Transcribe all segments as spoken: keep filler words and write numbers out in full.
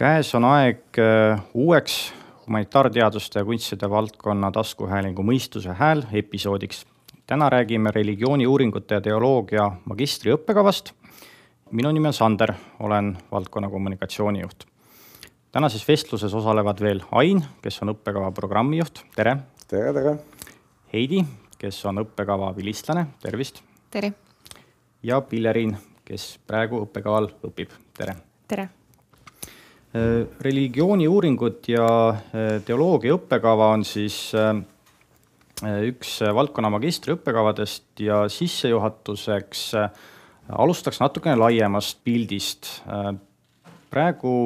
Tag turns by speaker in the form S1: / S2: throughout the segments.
S1: Käes on aeg uueks humanitaarteaduste ja kunstide valdkonna taskuhäälingu Mõistuse hääl episoodiks. Täna räägime religiooniuuringute ja teoloogia magistri õppekavast. Minu nimi on Sander, olen valdkonna kommunikatsioonijuht. Tänases vestluses osalevad veel Ain, kes on õppekava programmijuht. Tere!
S2: Tere, tere!
S1: Heidi, kes on õppekava vilistlane. Tervist!
S3: Tere!
S1: Ja Pillerin, kes praegu õppekaval õpib. Tere!
S3: Tere!
S1: Religiooniuuringud ja teoloogia õppekava on siis üks valdkonna magistri õppekavadest ja sissejuhatuseks alustaks natukene laiemast pildist. Praegu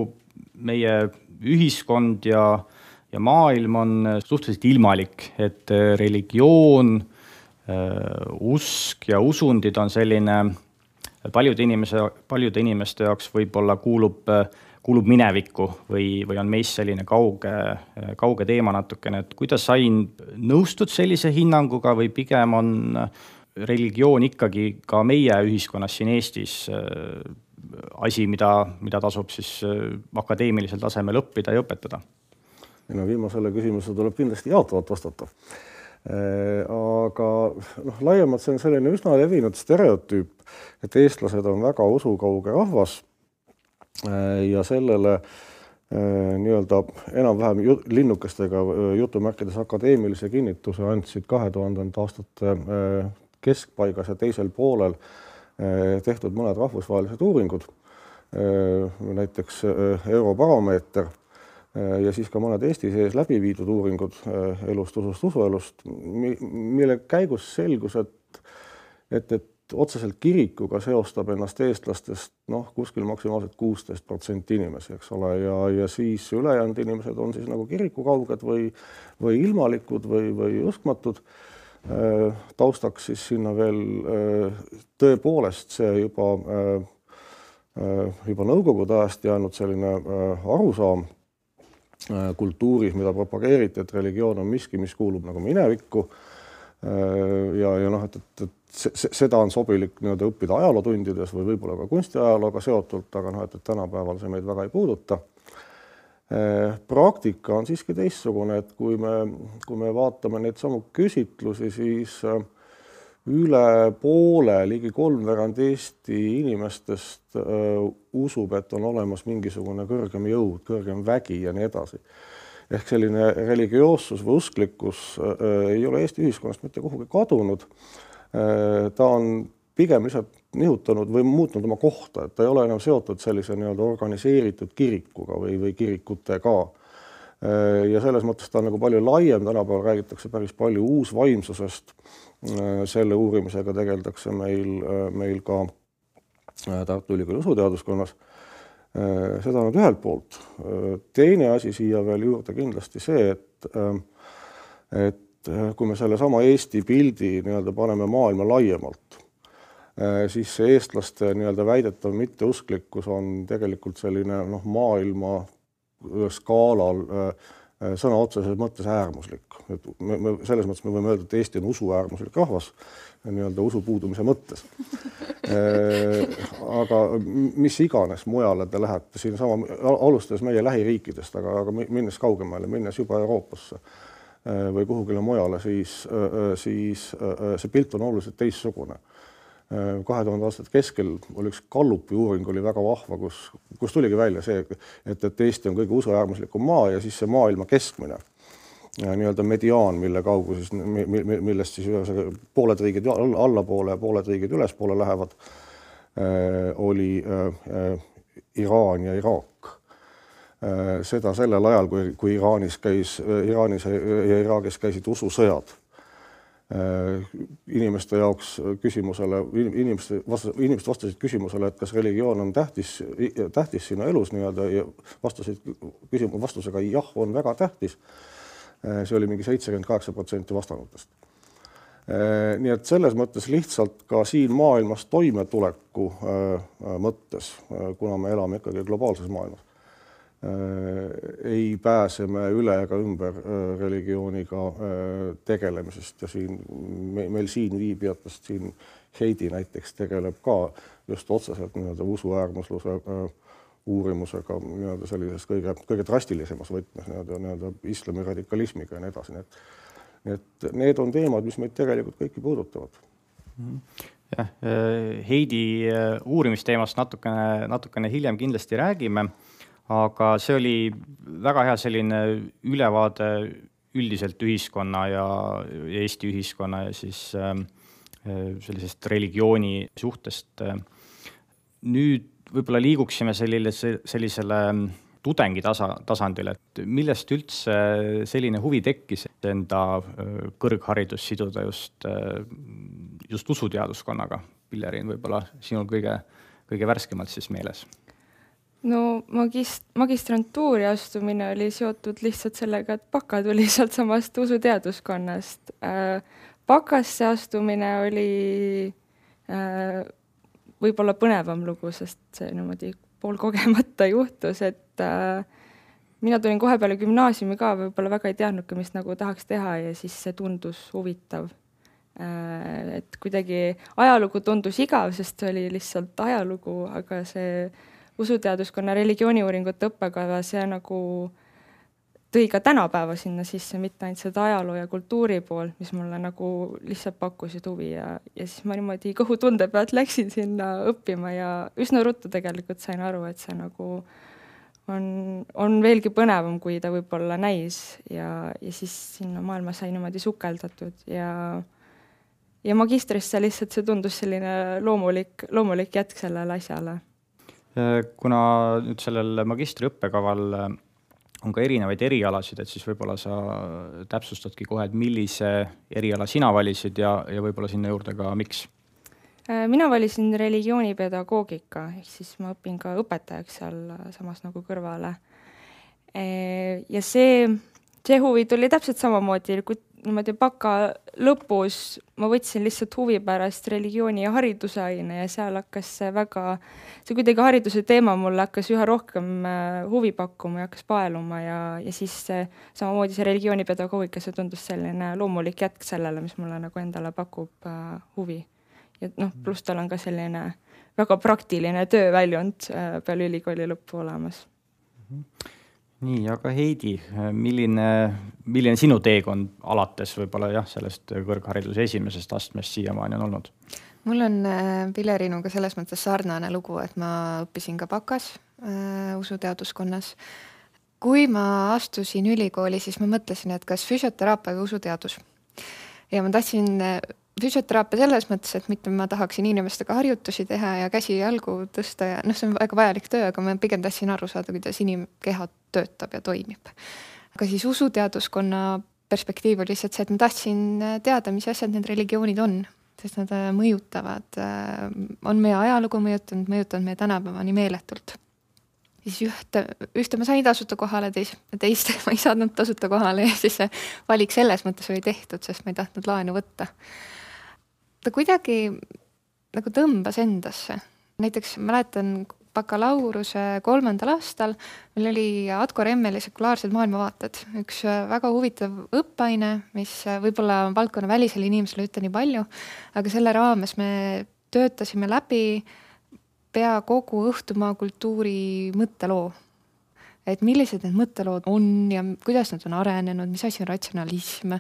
S1: meie ühiskond ja, ja maailm on suhteliselt ilmalik, et religioon, usk ja usundid on selline paljude, inimese, paljude inimeste jaoks võib-olla kuulub kuulub minevikku või, või on meist selline kauge, kauge teema natukene. Et kuidas Ain nõustud sellise hinnanguga või pigem on religioon ikkagi ka meie ühiskonnas siin Eestis asi, mida, mida tasub siis akadeemilisel tasemel õppida ja õpetada?
S2: No, viimasele küsimusele tuleb kindlasti jaatavalt vastata. Aga noh, laiemalt see on selline üsna levinud stereotüüp, et eestlased on väga usukauge rahvas, ja sellele nii-öelda enam-vähem linnukestega jutumärkides akadeemilise kinnituse andsid kahe tuhandete aastate keskpaigas ja teisel poolel tehtud mõned rahvusvahelised uuringud, näiteks Eurobaromeeter ja siis ka mõned Eesti sees läbi viidud uuringud elust, usust, usuelust, mille käigus selgus, et, et, et otseselt kirikuga seostab ennast eestlastest noh, kuskil maksimaalselt kuusteist protsenti inimesi, eks ole, ja, ja siis ülejäänud inimesed on siis nagu kirikukauged või, või ilmalikud või, või uskmatud. Taustaks siis sinna veel tõepoolest see juba, juba nõukogude ajast jäänud selline arusaam kultuuris, mida propageeriti, et religioon on miski, mis kuulub nagu minevikku ja, ja noh, et, et, et seda on sobilik nii-öelda õppida ajalootundides või võib-olla ka kunstiajalooga seotult, aga noh, et, et tänapäeval see meid väga ei puuduta. Praktika on siiski teistsugune, et kui me, kui me vaatame neid samu küsitlusi, siis üle poole, ligi kolmveerand Eesti inimestest usub, et on olemas mingisugune kõrgem jõud, kõrgem vägi ja nii edasi. Ehk selline religioossus või usklikkus ei ole Eesti ühiskonnast mitte kuhugi kadunud. Ta on pigem lihtsalt nihutanud või muutnud oma kohta, et ta ei ole enam seotud sellise nii-öelda organiseeritud kirikuga või, või kirikutega. Ja selles mõttes ta on nagu palju laiem, tänapäeval räägitakse päris palju uusvaimsusest. Selle uurimisega tegeldakse meil, meil ka Tartu Ülikooli usuteaduskonnas. Seda on ühelt poolt. Teine asi siia veel juurde kindlasti see, et, et kui me selle sama Eesti pildi nii-öelda paneme maailma laiemalt, siis see eestlaste nii-öelda väidetav mitteusklikkus on tegelikult selline noh, maailma skaalal sõna otseses mõttes äärmuslik. Et me, me, selles mõttes me võime öelda, et Eesti on usuäärmuslik rahvas nii-öelda usu puudumise mõttes. Aga mis iganes mujale te lähete, siin sama alustades meie lähiriikidest, aga, aga minnes kaugemale, minnes juba Euroopasse või kuhugile mujale, siis, siis see pilt on oluliselt teissugune. kahe tuhande aastate keskel oli üks Gallupi uuring oli väga vahva, kus, kus tuligi välja see, et, et Eesti on kõige usuäärmuslikum maa ja siis see maailma keskmine nii-öelda mediaan, mille kaugu siis, millest siis pooled riigid allapoole ja pooled riigid ülespoole lähevad, oli Iraan ja Iraak. Seda sellel ajal, kui, kui Iraanis, käis, Iraanis ja Iraagis käisid ususõjad. Inimeste jaoks küsimusele, inimeste, vastas, inimesed vastasid küsimusele, et kas religioon on tähtis, tähtis sinu elus nii-öelda ja vastasid küsimus, vastusega jah, on väga tähtis. See oli mingi seitsekümmend kaheksa protsenti vastanutest. Nii et selles mõttes lihtsalt ka siin maailmas toimetuleku mõttes, kuna me elame ikkagi globaalses maailmas, ei pääse me üle ega ümber religiooniga tegelemisest ja siin, meil siin viibijatest siin Heidi näiteks tegeleb ka just otseselt nii-öelda usuäärmusluse uurimusega nii-öelda sellises kõige, kõige drastilisemas võtmes nii-öelda, nii-öelda islami radikalismiga ja nii edasi. Nii et, nii et need on teemad, mis meid tegelikult kõiki puudutavad.
S1: Jah, Heidi uurimisteemast natukene, natukene hiljem kindlasti räägime, aga see oli väga hea selline ülevaade üldiselt ühiskonna ja Eesti ühiskonna ja siis sellisest religiooni suhtest. Nüüd võib-olla liiguksime sellisele, sellisele tudengi tasa, tasandile, et millest üldse selline huvi tekkis enda kõrgharidus siduda just, just usuteaduskonnaga? Pillerin, võib-olla sinul kõige, kõige värskemalt siis meeles?
S3: No magist, magistrantuuri astumine oli seotud lihtsalt sellega, et baka tuli sealt samast usuteaduskonnast. Bakasse astumine oli võib-olla põnevam lugu, sest see niimoodi pool kogemata juhtus, et äh, mina tulin kohe peale gümnaasiumi ka, võib-olla väga ei teadnudki, mis nagu tahaks teha ja siis see tundus huvitav. Äh, et kuidagi ajalugu tundus igav, sest see oli lihtsalt ajalugu, aga see usuteaduskonna religiooniuuringute õppekava, see nagu tõi ka tänapäeva sinna sisse, mitte ainult seda ajaloo ja kultuuri pool, mis mulle nagu lihtsalt pakkusid huvi ja, ja siis ma niimoodi kõhutunde pealt läksin sinna õppima ja üsna ruttu tegelikult sain aru, et see nagu on, on veelgi põnevam, kui ta võib-olla näis ja, ja siis sinna maailma sai niimoodi sukeldatud ja, ja magistrisse lihtsalt see tundus selline loomulik, loomulik jätk sellele asjale.
S1: Kuna nüüd sellel magistri õppekaval on ka erinevaid erialasid, et siis võib-olla sa täpsustadki kohe, et millise eriala sina valisid ja, ja võib-olla sinna juurde ka miks?
S3: Mina valisin religioonipedagoogika, ehk siis ma õpin ka õpetajaks seal samas nagu kõrvale. Ja see, see huvi tuli täpselt samamoodi, kui niimoodi baka lõpus ma võtsin lihtsalt huvi pärast religiooni ja hariduse aine ja seal hakkas see väga, see kuidagi hariduse teema mulle hakkas üha rohkem huvi pakkuma ja hakkas paeluma ja, ja siis see, samamoodi see religioonipedagoogika, see tundus selline loomulik jätk sellele, mis mulle nagu endale pakub uh, huvi. Ja noh, pluss tal on ka selline väga praktiline tööväljund uh, peale ülikooli lõppu olemas.
S1: Mm-hmm. Nii, aga Heidi, milline, milline sinu teekond alates võib-olla jah, sellest kõrghariduse esimesest astmest siiamaani on olnud?
S4: Mul on Pillerinuga selles mõttes sarnane lugu, et ma õppisin ka bakas äh, usuteaduskonnas. Kui ma astusin ülikooli, siis ma mõtlesin, et kas füsioteraapia või usuteadus. Ja ma tahtsin füsioteraapia selles mõttes, et mitte ma tahaksin inimestega harjutusi teha ja käsi jalgu tõsta ja noh, see on väga vajalik töö, aga ma pigem tahtsin aru saada, kuidas inimkeha töötab ja toimib. Aga siis usuteaduskonna perspektiiv oli lihtsalt see, et ma tahtsin teada, mis asjad need religioonid on, sest nad mõjutavad, on meie ajalugu mõjutanud, mõjutanud meie tänapäevani meeletult. Siis ühte, ühte ma sain tasuta kohale, teist, teist ma ei saanud tasuta kohale ja siis see valik selles mõttes oli tehtud, sest ma ei tahtnud laenu võtta. Ta kuidagi nagu tõmbas endasse. Näiteks mäletan bakalauruse kolmandal aastal, meil oli Atko Remmeli sekulaarsed maailmavaated. Üks väga huvitav õppaine, mis võib-olla valdkonna välisele inimesele ütle nii palju, aga selle raames me töötasime läbi pea kogu õhtumaa kultuuri mõtteloo. Et millised need mõttelood on ja kuidas nad on arenenud, mis asi on ratsionalism,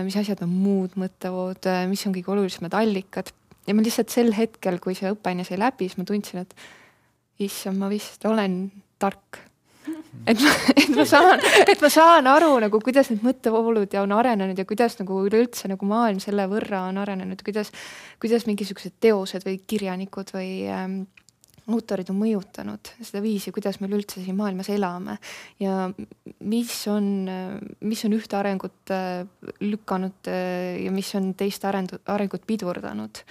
S4: mis asjad on muud mõttelood, mis on kõige olulisemad allikad. Ja ma lihtsalt sel hetkel, kui see õppaine sai läbi, siis ma tundsin, et issand, ma vist olen tark. Et ma, et ma, saan, et ma saan aru, nagu, kuidas need mõttevoolud ja on arenenud ja kuidas nagu üleüldse nagu maailm selle võrra on arenenud, kuidas, kuidas mingisugused teosed või kirjanikud või ähm, autorid on mõjutanud seda viisi, kuidas meil üldse siin maailmas elame ja mis on, mis on ühte arengut lükanud ja mis on teist arengut pidurdanud.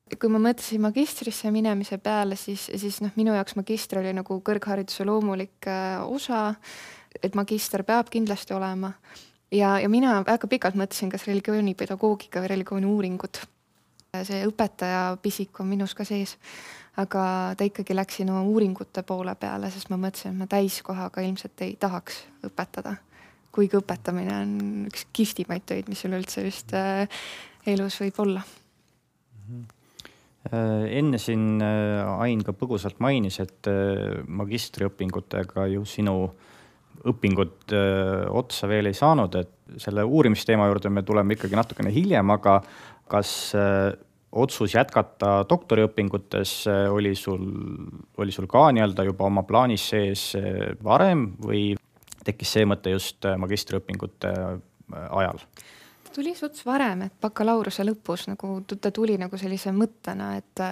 S4: Kui ma mõtlesin magistrisse minemise peale, siis, siis noh, minu jaoks magister oli nagu kõrghariduse loomulik osa, et magister peab kindlasti olema. Ja, ja mina väga pikalt mõtlesin, kas religioonipedagoogika või religiooni uuringud. See õpetaja pisik on minus ka sees, aga ta ikkagi läksin oma uuringute poole peale, sest ma mõtlesin, et ma täiskohaga ilmselt ei tahaks õpetada. Kuigi õpetamine on üks kihvtimaid töid, mis üleüldse just elus võib olla.
S1: Enne siin Ain ka põgusalt mainis, et magistriõpingutega ju sinu õpingud otsa veel ei saanud, et selle uurimisteema juurde me tuleme ikkagi natukene hiljem, aga kas otsus jätkata doktoriõpingutes oli sul, oli sul ka nii-öelda juba oma plaanis sees varem või tekkis see mõte just magistriõpingute ajal?
S4: Tuli suts varem, et bakalaureuse lõpus nagu, ta tuli nagu sellise mõttena, et,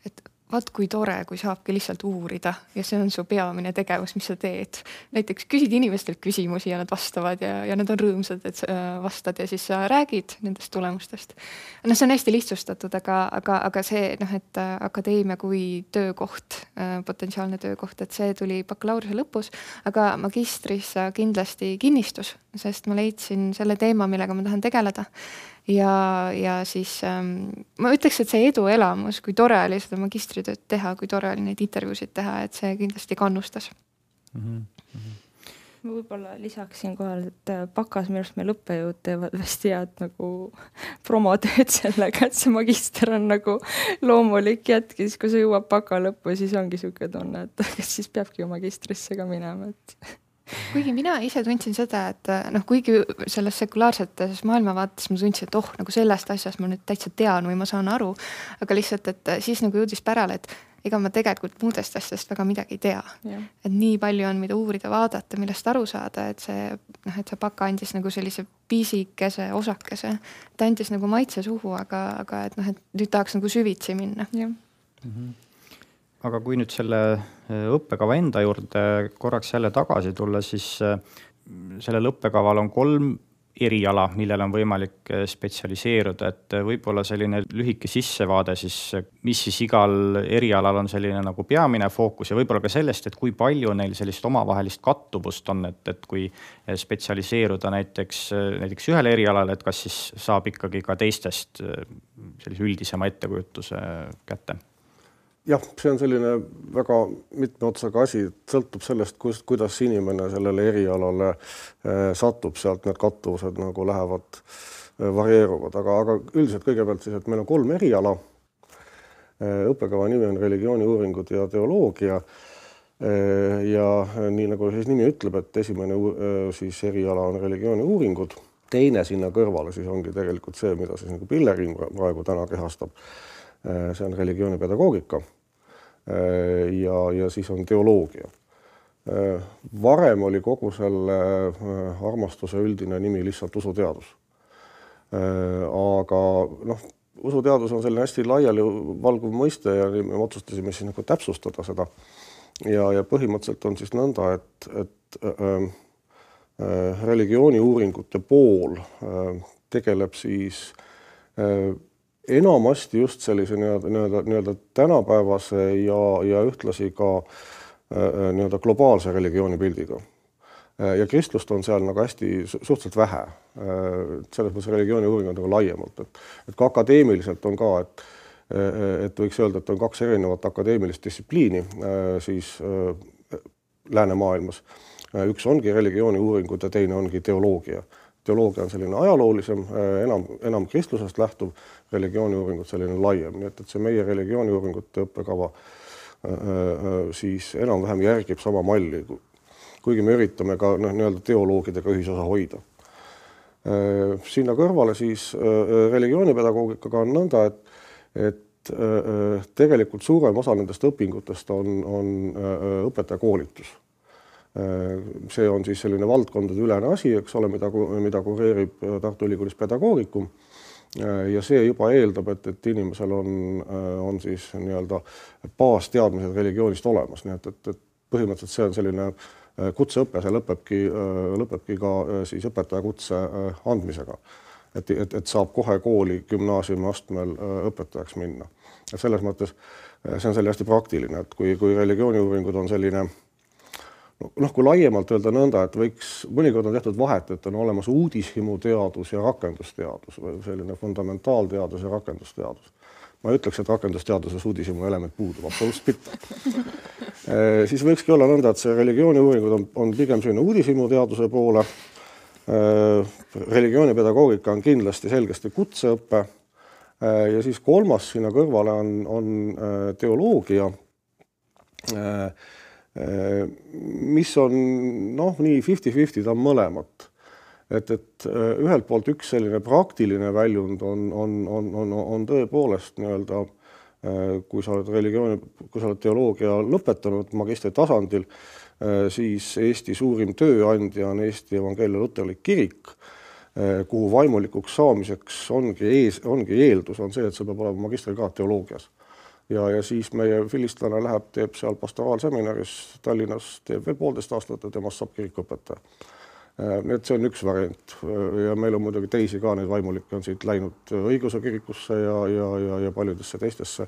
S4: et vaat kui tore, kui saabki lihtsalt uurida ja see on su peamine tegevus, mis sa teed. Näiteks küsid inimestelt küsimusi ja nad vastavad ja, ja nad on rõõmsad, et vastad ja siis sa räägid nendest tulemustest. No see on hästi lihtsustatud, aga, aga, aga see, noh, et akadeemia kui töökoht, potentsiaalne töökoht, et see tuli bakalaureuse lõpus, aga magistris kindlasti kinnistus, sest ma leidsin selle teema, millega ma tahan tegeleda. Ja, ja siis ähm, ma ütleks, et see eduelamus, kui tore oli seda magistritööd teha, kui tore oli neid intervjuusid teha, et see kindlasti kannustas.
S3: Mm-hmm. Ma võib-olla lisaksin kohal, et bakas minu arust meil õppejõud teevad hästi head nagu promotööd sellega, et see magister on nagu loomulik jätk, siis kui sa jõuab baka lõppu, siis ongi siuke tunne, et kes siis peabki ju magistrisse ka minema, et
S4: kuigi mina ise tundsin seda, et noh, kuigi selles sekulaarsetes maailmavaates ma tundsin, et oh, nagu sellest asjast ma nüüd täitsa tean või ma saan aru, aga lihtsalt, et siis nagu jõudis pärale, et ega ma tegelikult muudest asjast väga midagi ei tea. Ja. Et nii palju on, mida uurida, vaadata, millest aru saada, et see, noh, et see baka andis nagu sellise piisikese, osakese, ta andis nagu maitse suhu, aga, aga et noh, et nüüd tahaks nagu süvitsi minna. Ja.
S1: Mm-hmm. Aga kui nüüd selle õppekava enda juurde korraks jälle tagasi tulla, siis sellel õppekaval on kolm eriala, millel on võimalik spetsialiseeruda, et võib-olla selline lühike sissevaade siis, mis siis igal erialal on selline nagu peamine fookus ja võib-olla ka sellest, et kui palju neil sellist omavahelist kattuvust on, et, et kui spetsialiseeruda näiteks, näiteks ühele erialale, et kas siis saab ikkagi ka teistest sellise üldisema ettekujutuse kätte?
S2: Jah, see on selline väga mitme otsaga asi, sõltub sellest, kuidas inimene sellele erialale satub, sealt need kattuvused nagu lähevad, varieeruvad, aga, aga üldiselt kõigepealt siis, et meil on kolm eriala. Õppekava nimi on religiooniuuringud ja teoloogia ja nii nagu siis nimi ütleb, et esimene siis eriala on religiooniuuringud, teine sinna kõrvale siis ongi tegelikult see, mida siis nagu Pillerin praegu täna kehastab. See on religioonipedagoogika ja, ja siis on teoloogia. Varem oli kogu selle armastuse üldine nimi lihtsalt usuteadus. Aga noh, usuteadus on selline hästi laiali valguv mõiste ja me otsustasime siis nagu täpsustada seda. Ja, ja põhimõtteliselt on siis nõnda, et, et äh, äh, religiooniuuringute pool äh, tegeleb siis äh, enamasti just sellise nii-öelda, nii-öelda, nii-öelda tänapäevase ja, ja ühtlasi ka äh, nii-öelda globaalse religioonipildiga. Ja kristlust on seal nagu hästi suhteliselt vähe. Selles mõttes religiooniuuring on nagu laiemalt. Et, et ka akadeemiliselt on ka, et, et võiks öelda, et on kaks erinevat akadeemilist distsipliini siis läänemaailmas. Üks ongi religiooniuuringud ja teine ongi teoloogia. Teoloogia on selline ajaloolisem, enam, enam kristlusest lähtuv, religiooniuuringud selline laiem. Nii et, et see meie religiooniuuringute õppekava siis enam-vähem järgib sama malli, kuigi me üritame ka noh, nii-öelda teoloogidega ühisosa hoida. Sinna kõrvale siis religioonipedagoogikaga on nõnda, et, et tegelikult suurem osa nendest õpingutest on, on õpetajakoolitus. See on siis selline valdkondade ülene asi, eks ole, mida, mida kureerib Tartu Ülikoolis pedagoogikum ja see juba eeldab, et, et inimesel on, on siis nii-öelda baasteadmised religioonist olemas, nii et, et, et põhimõtteliselt see on selline kutseõpe, see lõpebki, lõpebki ka siis õpetajakutse andmisega, et, et, et saab kohe kooli gümnaasiumi astmel õpetajaks minna. Ja selles mõttes see on selline hästi praktiline, et kui, kui religiooniuuringud on selline noh, kui laiemalt öelda nõnda, et võiks, mõnikord on tehtud vahet, et on olemas uudishimuteadus ja rakendusteadus või selline fundamentaalteadus ja rakendusteadus. Ma ütleks, et rakendusteaduses uudishimu element puudub, absoluutselt mitte. Siis võikski olla nõnda, et see religiooniuuringud on, on pigem selline uudishimuteaduse poole. Religioonipedagoogika on kindlasti selgesti kutseõppe Ja siis kolmas sinna kõrvale on, on teoloogia, mis on noh, nii fifty fifty, ta on mõlemat. Et, et ühelt poolt üks selline praktiline väljund on, on, on, on, on tõepoolest nii-öelda, kui sa oled religiooni, kui sa oled teoloogia lõpetanud magistri tasandil, siis Eesti suurim tööandja on Eesti Evangeelia Luterlik Kirik, kuhu vaimulikuks saamiseks ongi, ees, ongi eeldus on see, et see peab olema magistrikraad teoloogias. Ja, ja siis meie filistlane läheb, teeb seal pastoraalseminaris Tallinnas, teeb veel poolteist aastat ja temast saab kirikuõpetaja. Nii et see on üks variant ja meil on muidugi teisi ka, neid vaimulikke on siit läinud õiguse kirikusse ja, ja, ja, ja paljudesse teistesse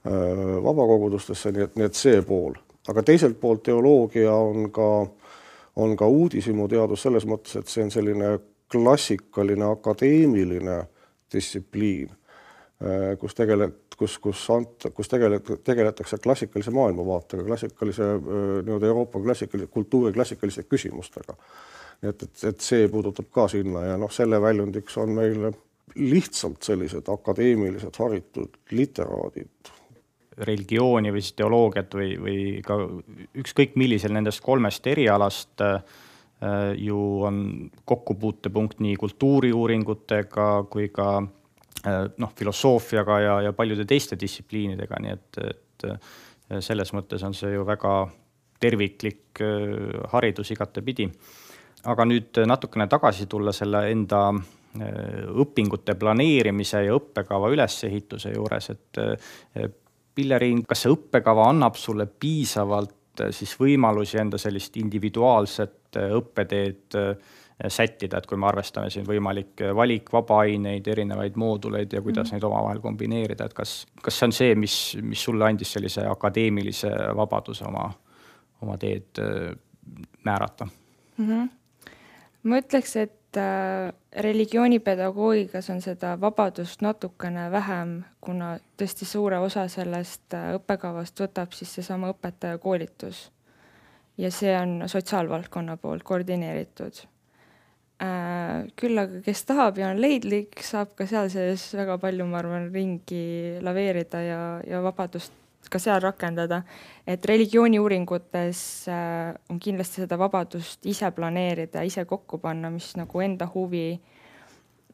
S2: vabakogudustesse, nii et, nii et see pool. Aga teiselt poolt teoloogia on ka, on ka uudishimu teadus selles mõttes, et see on selline klassikaline akadeemiline distsipliin, kus, tegelet, kus, kus, ant, kus tegelet, tegeletakse klassikalise maailmavaatega, klassikalise nii-öelda Euroopa klassikalise, kultuuri klassikaliste küsimustega. Et, et, et see puudutab ka sinna ja noh, selle väljundiks on meil lihtsalt sellised akadeemilised haritud literaadid.
S1: Religiooni või siis teoloogiat või, või ka ükskõik millisel nendest kolmest erialast ju on kokkupuutepunkt nii kultuuriuuringutega kui ka noh, filosoofiaga ja, ja paljude teiste distsipliinidega, nii et, et selles mõttes on see ju väga terviklik haridus igatepidi. Aga nüüd natukene tagasi tulla selle enda õpingute planeerimise ja õppekava ülesehituse juures, et Pilleriin, kas see õppekava annab sulle piisavalt siis võimalusi enda sellist individuaalset õppeteed sättida, et kui me arvestame siin võimalik valik, vaba-aineid, erinevaid mooduleid ja kuidas mm. neid omavahel kombineerida, et kas, kas see on see, mis, mis sulle andis sellise akadeemilise vabaduse oma, oma teed määrata?
S3: Mm-hmm. Ma ütleks, et religioonipedagoogikas on seda vabadust natukene vähem, kuna tõesti suure osa sellest õppekavast võtab siis seesama õpetaja koolitus. Ja see on sotsiaalvaldkonna poolt koordineeritud. Küll aga kes tahab ja on leidlik, saab ka seal sees väga palju, ma arvan, ringi laveerida ja, ja vabadust ka seal rakendada. Et religiooniuuringutes on kindlasti seda vabadust ise planeerida, ise kokku panna, mis nagu enda huvi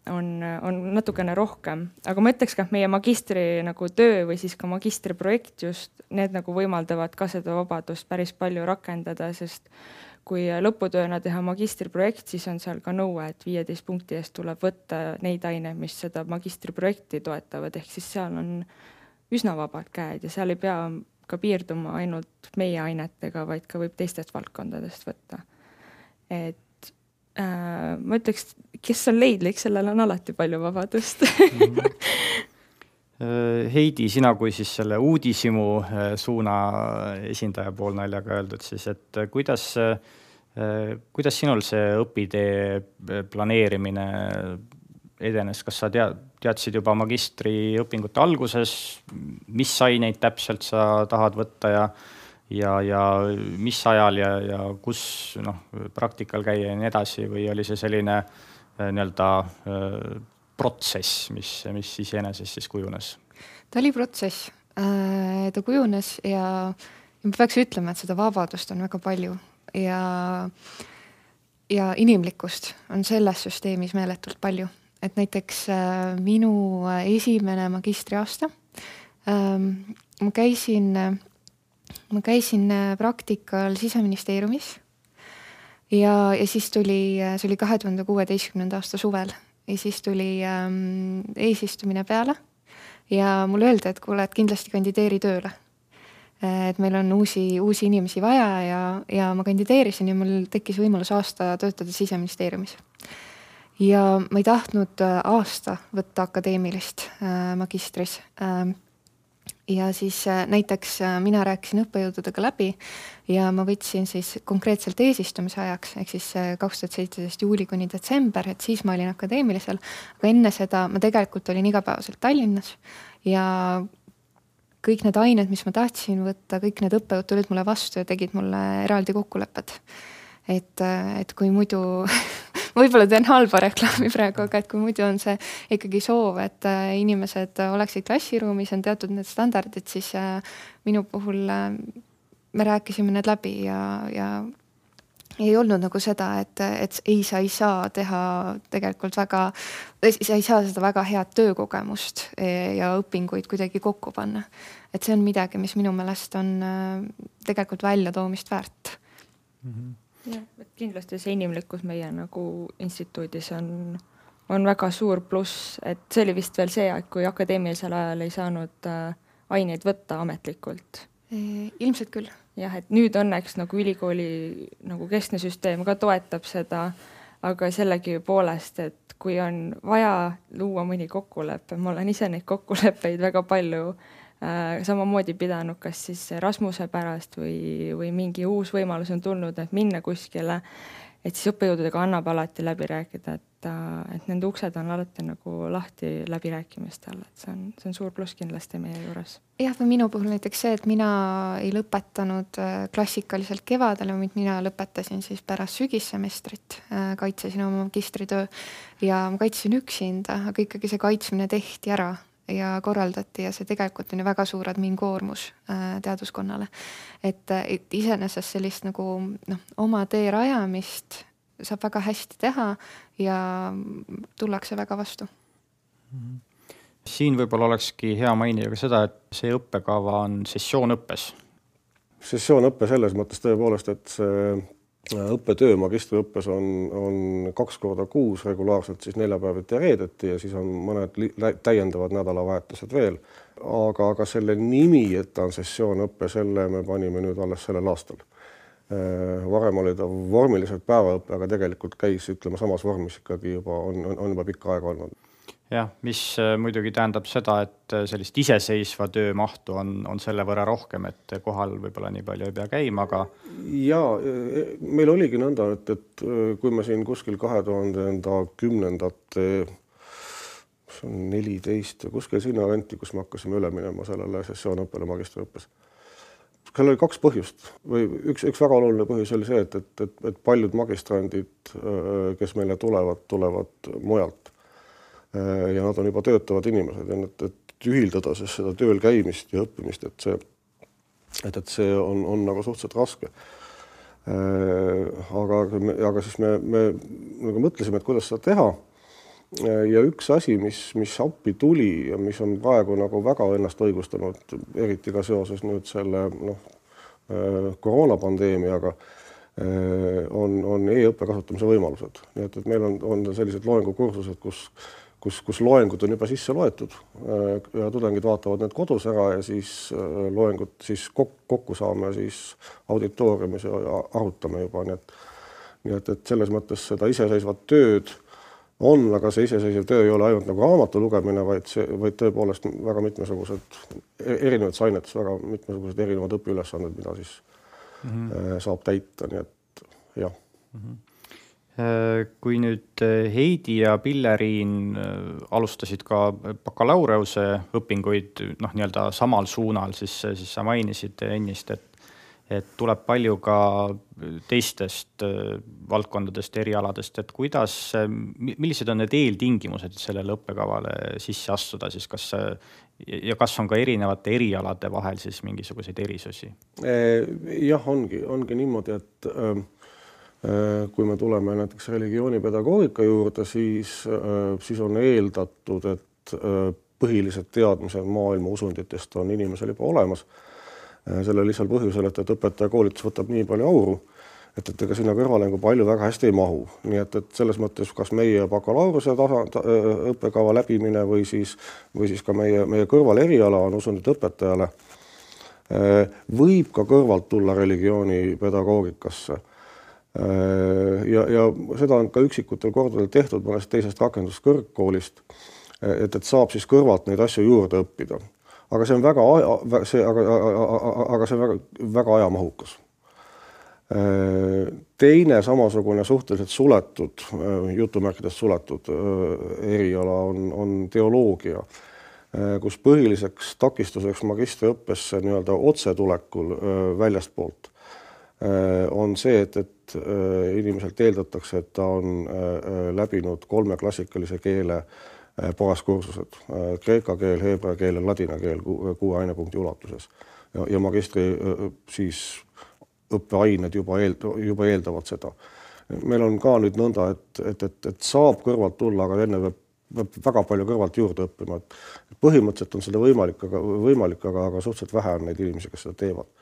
S3: on, on natukene rohkem. Aga ma ütleks ka, et meie magistri nagu töö või siis ka magistriprojekt just, need nagu võimaldavad ka seda vabadust päris palju rakendada, sest kui lõputööna teha magistriprojekt, siis on seal ka nõue, et viieteist punkti eest tuleb võtta neid aine, mis seda magistriprojekti toetavad, ehk siis seal on üsna vabad käed ja seal ei pea ka piirduma ainult meie ainetega, vaid ka võib teistest valdkondadest võtta. Et äh, ma ütleks, kes on leidlik, sellel on alati palju vabadust.
S1: Heidi, sina kui siis selle uudishimu suuna esindaja pool naljaga öeldud, siis et kuidas, kuidas sinul see õpitee planeerimine edenes, kas sa tead, teadsid juba magistriõpingute alguses, mis aineid täpselt sa tahad võtta ja, ja, ja mis ajal ja, ja kus noh, praktikal käia ja nii edasi või oli see selline nii-öelda protsess, mis, mis iseenesest siis kujunes?
S4: Ta oli protsess. Ta kujunes ja, ja ma peaks ütlema, et seda vabadust on väga palju ja, ja inimlikkust on selles süsteemis meeletult palju. Et näiteks äh, minu esimene magistriaasta ähm, ma käisin, ma käisin praktikal Siseministeeriumis ja, ja siis tuli, see oli kahe tuhande kuueteistkümnenda aasta suvel ja siis tuli ähm, eesistumine peale ja mulle öeldi, et kuule, et kindlasti kandideeri tööle. Et meil on uusi, uusi inimesi vaja ja, ja ma kandideerisin ja mul tekkis võimalus aasta töötada Siseministeeriumis. Ja ma ei tahtnud aasta võtta akadeemilist äh, magistris. Äh, ja siis äh, näiteks äh, mina rääkisin õppejõududega läbi ja ma võtsin siis konkreetselt eesistumise ajaks, ehk siis äh, kaks tuhat seitseteist juuli kuni detsember, et siis ma olin akadeemilisel. Aga enne seda ma tegelikult olin igapäevaselt Tallinnas ja kõik need ained, mis ma tahtsin võtta, kõik need õppejõud tulid mulle vastu ja tegid mulle eraldi kokkulepped. Et, et kui muidu võib-olla teen halba reklaami praegu, aga et kui muidu on see ikkagi soov, et inimesed oleksid klassiruumis, on teatud need standardid, siis minu puhul me rääkisime need läbi ja, ja ei olnud nagu seda, et, et ei, sa ei saa teha tegelikult väga, sa ei saa seda väga head töökogemust ja õpinguid kuidagi kokku panna. Et see on midagi, mis minu meelest on tegelikult välja toomist väärt.
S3: Mm-hmm. Ja, et kindlasti see inimlikkus meie nagu instituudis on, on väga suur pluss, et see oli vist veel see, et kui akadeemilisel ajal ei saanud aineid võtta ametlikult.
S4: Ilmselt küll.
S3: Jah, et nüüd õnneks nagu ülikooli nagu keskne süsteem ka toetab seda, aga sellegi poolest, et kui on vaja luua mõni kokkulepe, ma olen ise neid kokkuleppeid väga palju äh, samamoodi pidanud, kas siis Rasmuse pärast või, või mingi uus võimalus on tulnud, et minna kuskile, et siis õppejõududega annab alati läbi rääkida, et, et nende uksed on alati nagu lahti läbirääkimistel, et see on, see on suur pluss kindlasti meie juures.
S4: Jah, või minu puhul näiteks see, et mina ei lõpetanud klassikaliselt kevadel, vaid mina lõpetasin siis pärast sügissemestrit, kaitsesin oma magistritöö ja ma kaitsin üksinda, aga ikkagi see kaitsmine tehti ära ja korraldati ja see tegelikult on ju väga suur admin-koormus teaduskonnale. Et, et iseenesest sellist nagu noh, oma tee rajamist saab väga hästi teha ja tullakse väga vastu.
S1: Siin võib-olla olekski hea mainida ka seda, et see õppekava on sessioonõppes.
S2: Sessioonõppe selles mõttes tõepoolest, et see õppetöö magistriõppes on, on kaks korda kuus regulaarselt siis neljapäeviti ja reedeti ja siis on mõned täiendavad nädalavahetused veel. Aga, aga selle nimi, et ta on sessioonõppe, selle me panime nüüd alles sellel aastal. Varem oli ta vormiliselt päevaõppe, aga tegelikult käis ütlema samas vormis ikkagi juba on, on juba pikka aega olnud.
S1: Jah, mis muidugi tähendab seda, et sellist iseseisva töö mahtu on, on selle võrra rohkem, et kohal võib-olla nii palju ei pea käima, aga...
S2: Ja meil oligi nõnda, et, et kui me siin kuskil kahe tuhande kümnendate neliteist ja kuskil sinna venti, kus me hakkasime üle minema sellele sessioonõppele magistriõppes. Seal oli kaks põhjust või üks, üks väga oluline põhjus oli see, et, et, et, et paljud magistrandid, kes meile tulevad, tulevad mujalt. Ja nad on juba töötavad inimesed ja et, et ühildada siis seda tööl käimist ja õppimist, et see, et, et see on, on nagu suhteliselt raske. Aga, aga siis me, me nagu mõtlesime, et kuidas seda teha. Ja üks asi, mis, mis appi tuli ja mis on praegu nagu väga ennast õigustanud, eriti ka seoses nüüd selle noh, koroonapandeemiaga, on, on e-õppe kasutamise võimalused. Nii et, et meil on, on sellised loengukursused, kus Kus, kus loengud on juba sisse loetud ja tudengid vaatavad need kodus ära ja siis loengud siis kokku saame siis auditooriumis ja arutame juba. Nii et, nii et, et selles mõttes seda iseseisvat tööd on, aga see iseseisev töö ei ole ainult nagu raamatu lugemine, vaid, see, vaid tõepoolest väga mitmesugused erinevad ainetes, väga mitmesugused erinevad õpiülesanded, mida siis mm-hmm. saab täita. Nii et jah.
S1: Mm-hmm. Kui nüüd Heidi ja Pilleriin alustasid ka bakalaureuse õpinguid noh, nii-öelda samal suunal, siis, siis sa mainisid ennist, et, et tuleb palju ka teistest valdkondadest, erialadest, et kuidas, millised on need eeltingimused sellele õppekavale sisse astuda, siis kas, ja kas on ka erinevate erialade vahel siis mingisuguseid erisusi?
S2: Jah, ongi, ongi niimoodi, et kui me tuleme näiteks religioonipedagoogika juurde, siis, siis on eeldatud, et põhilised teadmised maailma usunditest on inimesel juba olemas. Selle lihtsal põhjusel, et, et õpetaja koolitus võtab nii palju auru, et, et ega sinna kõrvalengu palju väga hästi ei mahu. Nii et, et selles mõttes, kas meie bakalaureuse tasa, ta, õppekava läbimine või siis, või siis ka meie, meie kõrval eriala on usundit õpetajale, võib ka kõrvalt tulla religioonipedagoogikasse. Ja, ja seda on ka üksikutel kordadel tehtud mõnest teisest rakenduskõrgkoolist, et, et saab siis kõrvalt neid asju juurde õppida. Aga see on väga, see, aga, aga see on väga, väga ajamahukas. Teine samasugune suhteliselt suletud, jutumärkidest suletud eriala on, on teoloogia, kus põhiliseks takistuseks magistriõppesse nii-öelda otsetulekul väljastpoolt on see, et, et inimeselt eeldatakse, et ta on läbinud kolme klassikalise keele baaskursused, kreeka keel, heebrea keel ja ladina keel kuue ainepunkti ulatuses. Ja, ja magistri siis õppeained juba, eel, juba eeldavad seda. Meil on ka nüüd nõnda, et, et, et, et saab kõrvalt tulla, aga enne peab, peab väga palju kõrvalt juurde õppima. Et põhimõtteliselt on seda võimalik, aga, võimalik, aga, aga suhteliselt vähe on neid inimesi, kes seda teevad.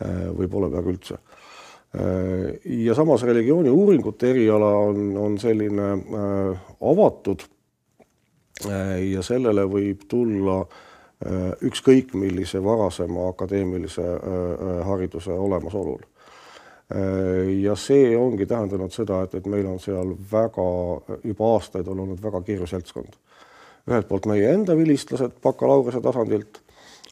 S2: Või pole peaaegu üldse. Ja samas religiooni uuringute eriala on, on selline äh, avatud äh, ja sellele võib tulla äh, ükskõik millise varasema akadeemilise äh, hariduse olemasolul. Äh, ja see ongi tähendanud seda, et, et meil on seal väga, juba aastaid on olnud väga kirju seltskond. Ühelt poolt meie enda vilistlased bakalaureuse tasandilt,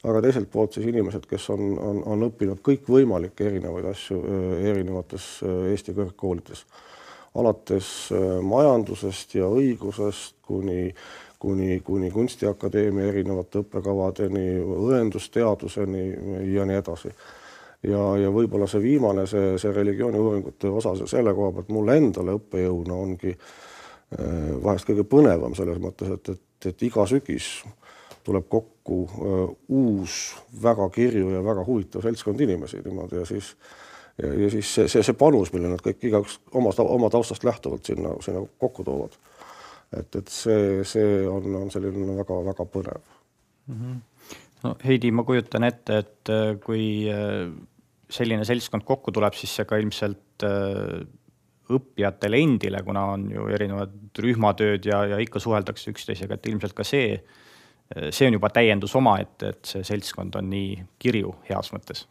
S2: aga teiselt poolt siis inimesed, kes on, on, on õppinud kõik võimalikke erinevaid asju erinevates Eesti kõrgkoolides. Alates majandusest ja õigusest kuni, kuni, kuni kunstiakadeemia erinevate õppekavadeni, õendusteaduseni ja nii edasi. Ja, ja võib-olla see viimane, see, see religiooni uuringute osa selle koha pealt mulle endale õppejõuna ongi vahest kõige põnevam selles mõttes, et, et, et iga sügis tuleb kokku uh, uus, väga kirju ja väga huvitav seltskond inimesi niimoodi ja siis, ja, ja siis see, see, see panus, mille nad kõik igaüks oma, oma taustast lähtuvalt sinna, sinna kokku toovad. Et, et see, see on, on selline väga, väga põnev.
S1: Mm-hmm. No, Heidi, ma kujutan ette, et kui selline seltskond kokku tuleb, siis see ka ilmselt õppijatele endile, kuna on ju erinevad rühmatööd ja, ja ikka suheldakse üksteisega, et ilmselt ka see see on juba täiendus oma, et, et see seltskond on nii kirju heas mõttes.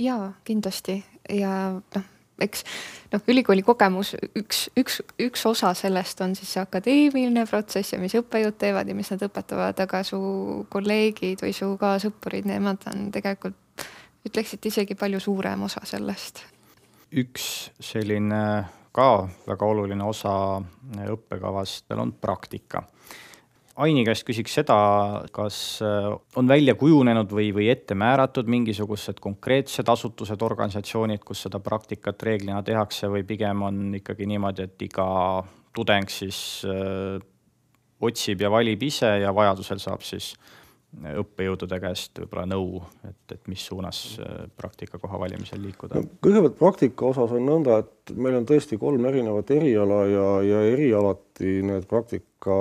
S4: Jaa, kindlasti. Ja noh, eks noh, ülikooli kogemus, üks, üks, üks osa sellest on siis see akadeemiline protsess ja mis õppejõud teevad ja mis nad õpetavad, aga su kolleegid või su kaasõppurid, nemad on tegelikult, ütleksid isegi palju suurem osa sellest.
S1: Üks selline ka väga oluline osa õppekavast on praktika. Aini käest küsiks seda, kas on välja kujunenud või, või ette määratud mingisugused konkreetsed asutused, organisatsioonid, kus seda praktikat reeglina tehakse või pigem on ikkagi niimoodi, et iga tudeng siis öö, otsib ja valib ise ja vajadusel saab siis õppejõudude käest võib-olla nõu, et, et mis suunas praktika koha valimisel liikuda?
S2: No, kõigepealt praktika osas on nõnda, et meil on tõesti kolm erinevat eriala ja, ja erialati need praktika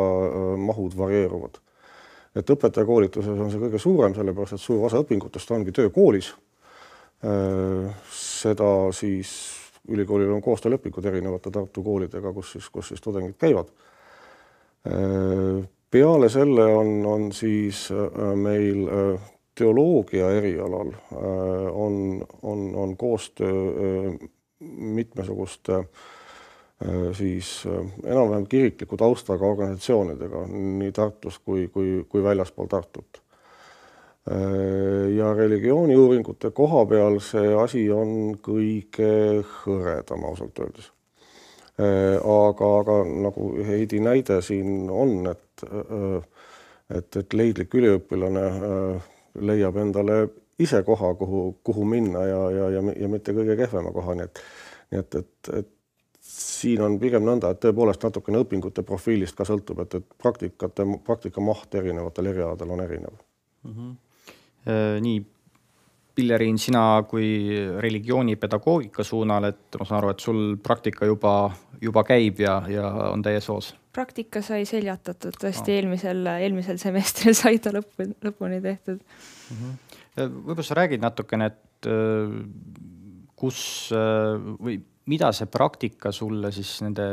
S2: mahud varieeruvad. Et õpetajakoolituses on see kõige suurem, sellepärast, et suur osa õpingutest ongi töökoolis. Seda siis ülikoolil on koostöölepingud erinevate Tartu koolidega, kus siis, kus siis tudengid käivad. Peale selle on, on siis meil teoloogia erialal on, on, on koostöö mitmesuguste siis enam-vähem kirikliku taustaga organisatsioonidega nii Tartus kui, kui, kui väljaspool Tartut. Ja religiooni uuringute koha peal see asi on kõige hõredam ausalt öeldes. Aga, aga nagu Heidi näide siin on, et, et, et leidlik üliõpilane leiab endale ise koha, kuhu, kuhu minna ja, ja, ja, ja mitte kõige kehvema koha. Nii et, nii et, et, et siin on pigem nõnda, et tõepoolest natukene õpingute profiilist ka sõltub, et, et praktikate, praktika maht erinevatel erialadel on erinev.
S1: Mm-hmm. Nii, Pilleriin, sina kui religioonipedagoogika suunal, et ma saan aru, et sul praktika juba, juba käib ja, ja on täies hoos?
S3: Praktika sai seljatatud tõesti no. eelmisel, eelmisel semestril sai ta lõpu, lõpuni tehtud.
S1: Mm-hmm. Võib-olla sa räägid natukene, et kus või mida see praktika sulle siis nende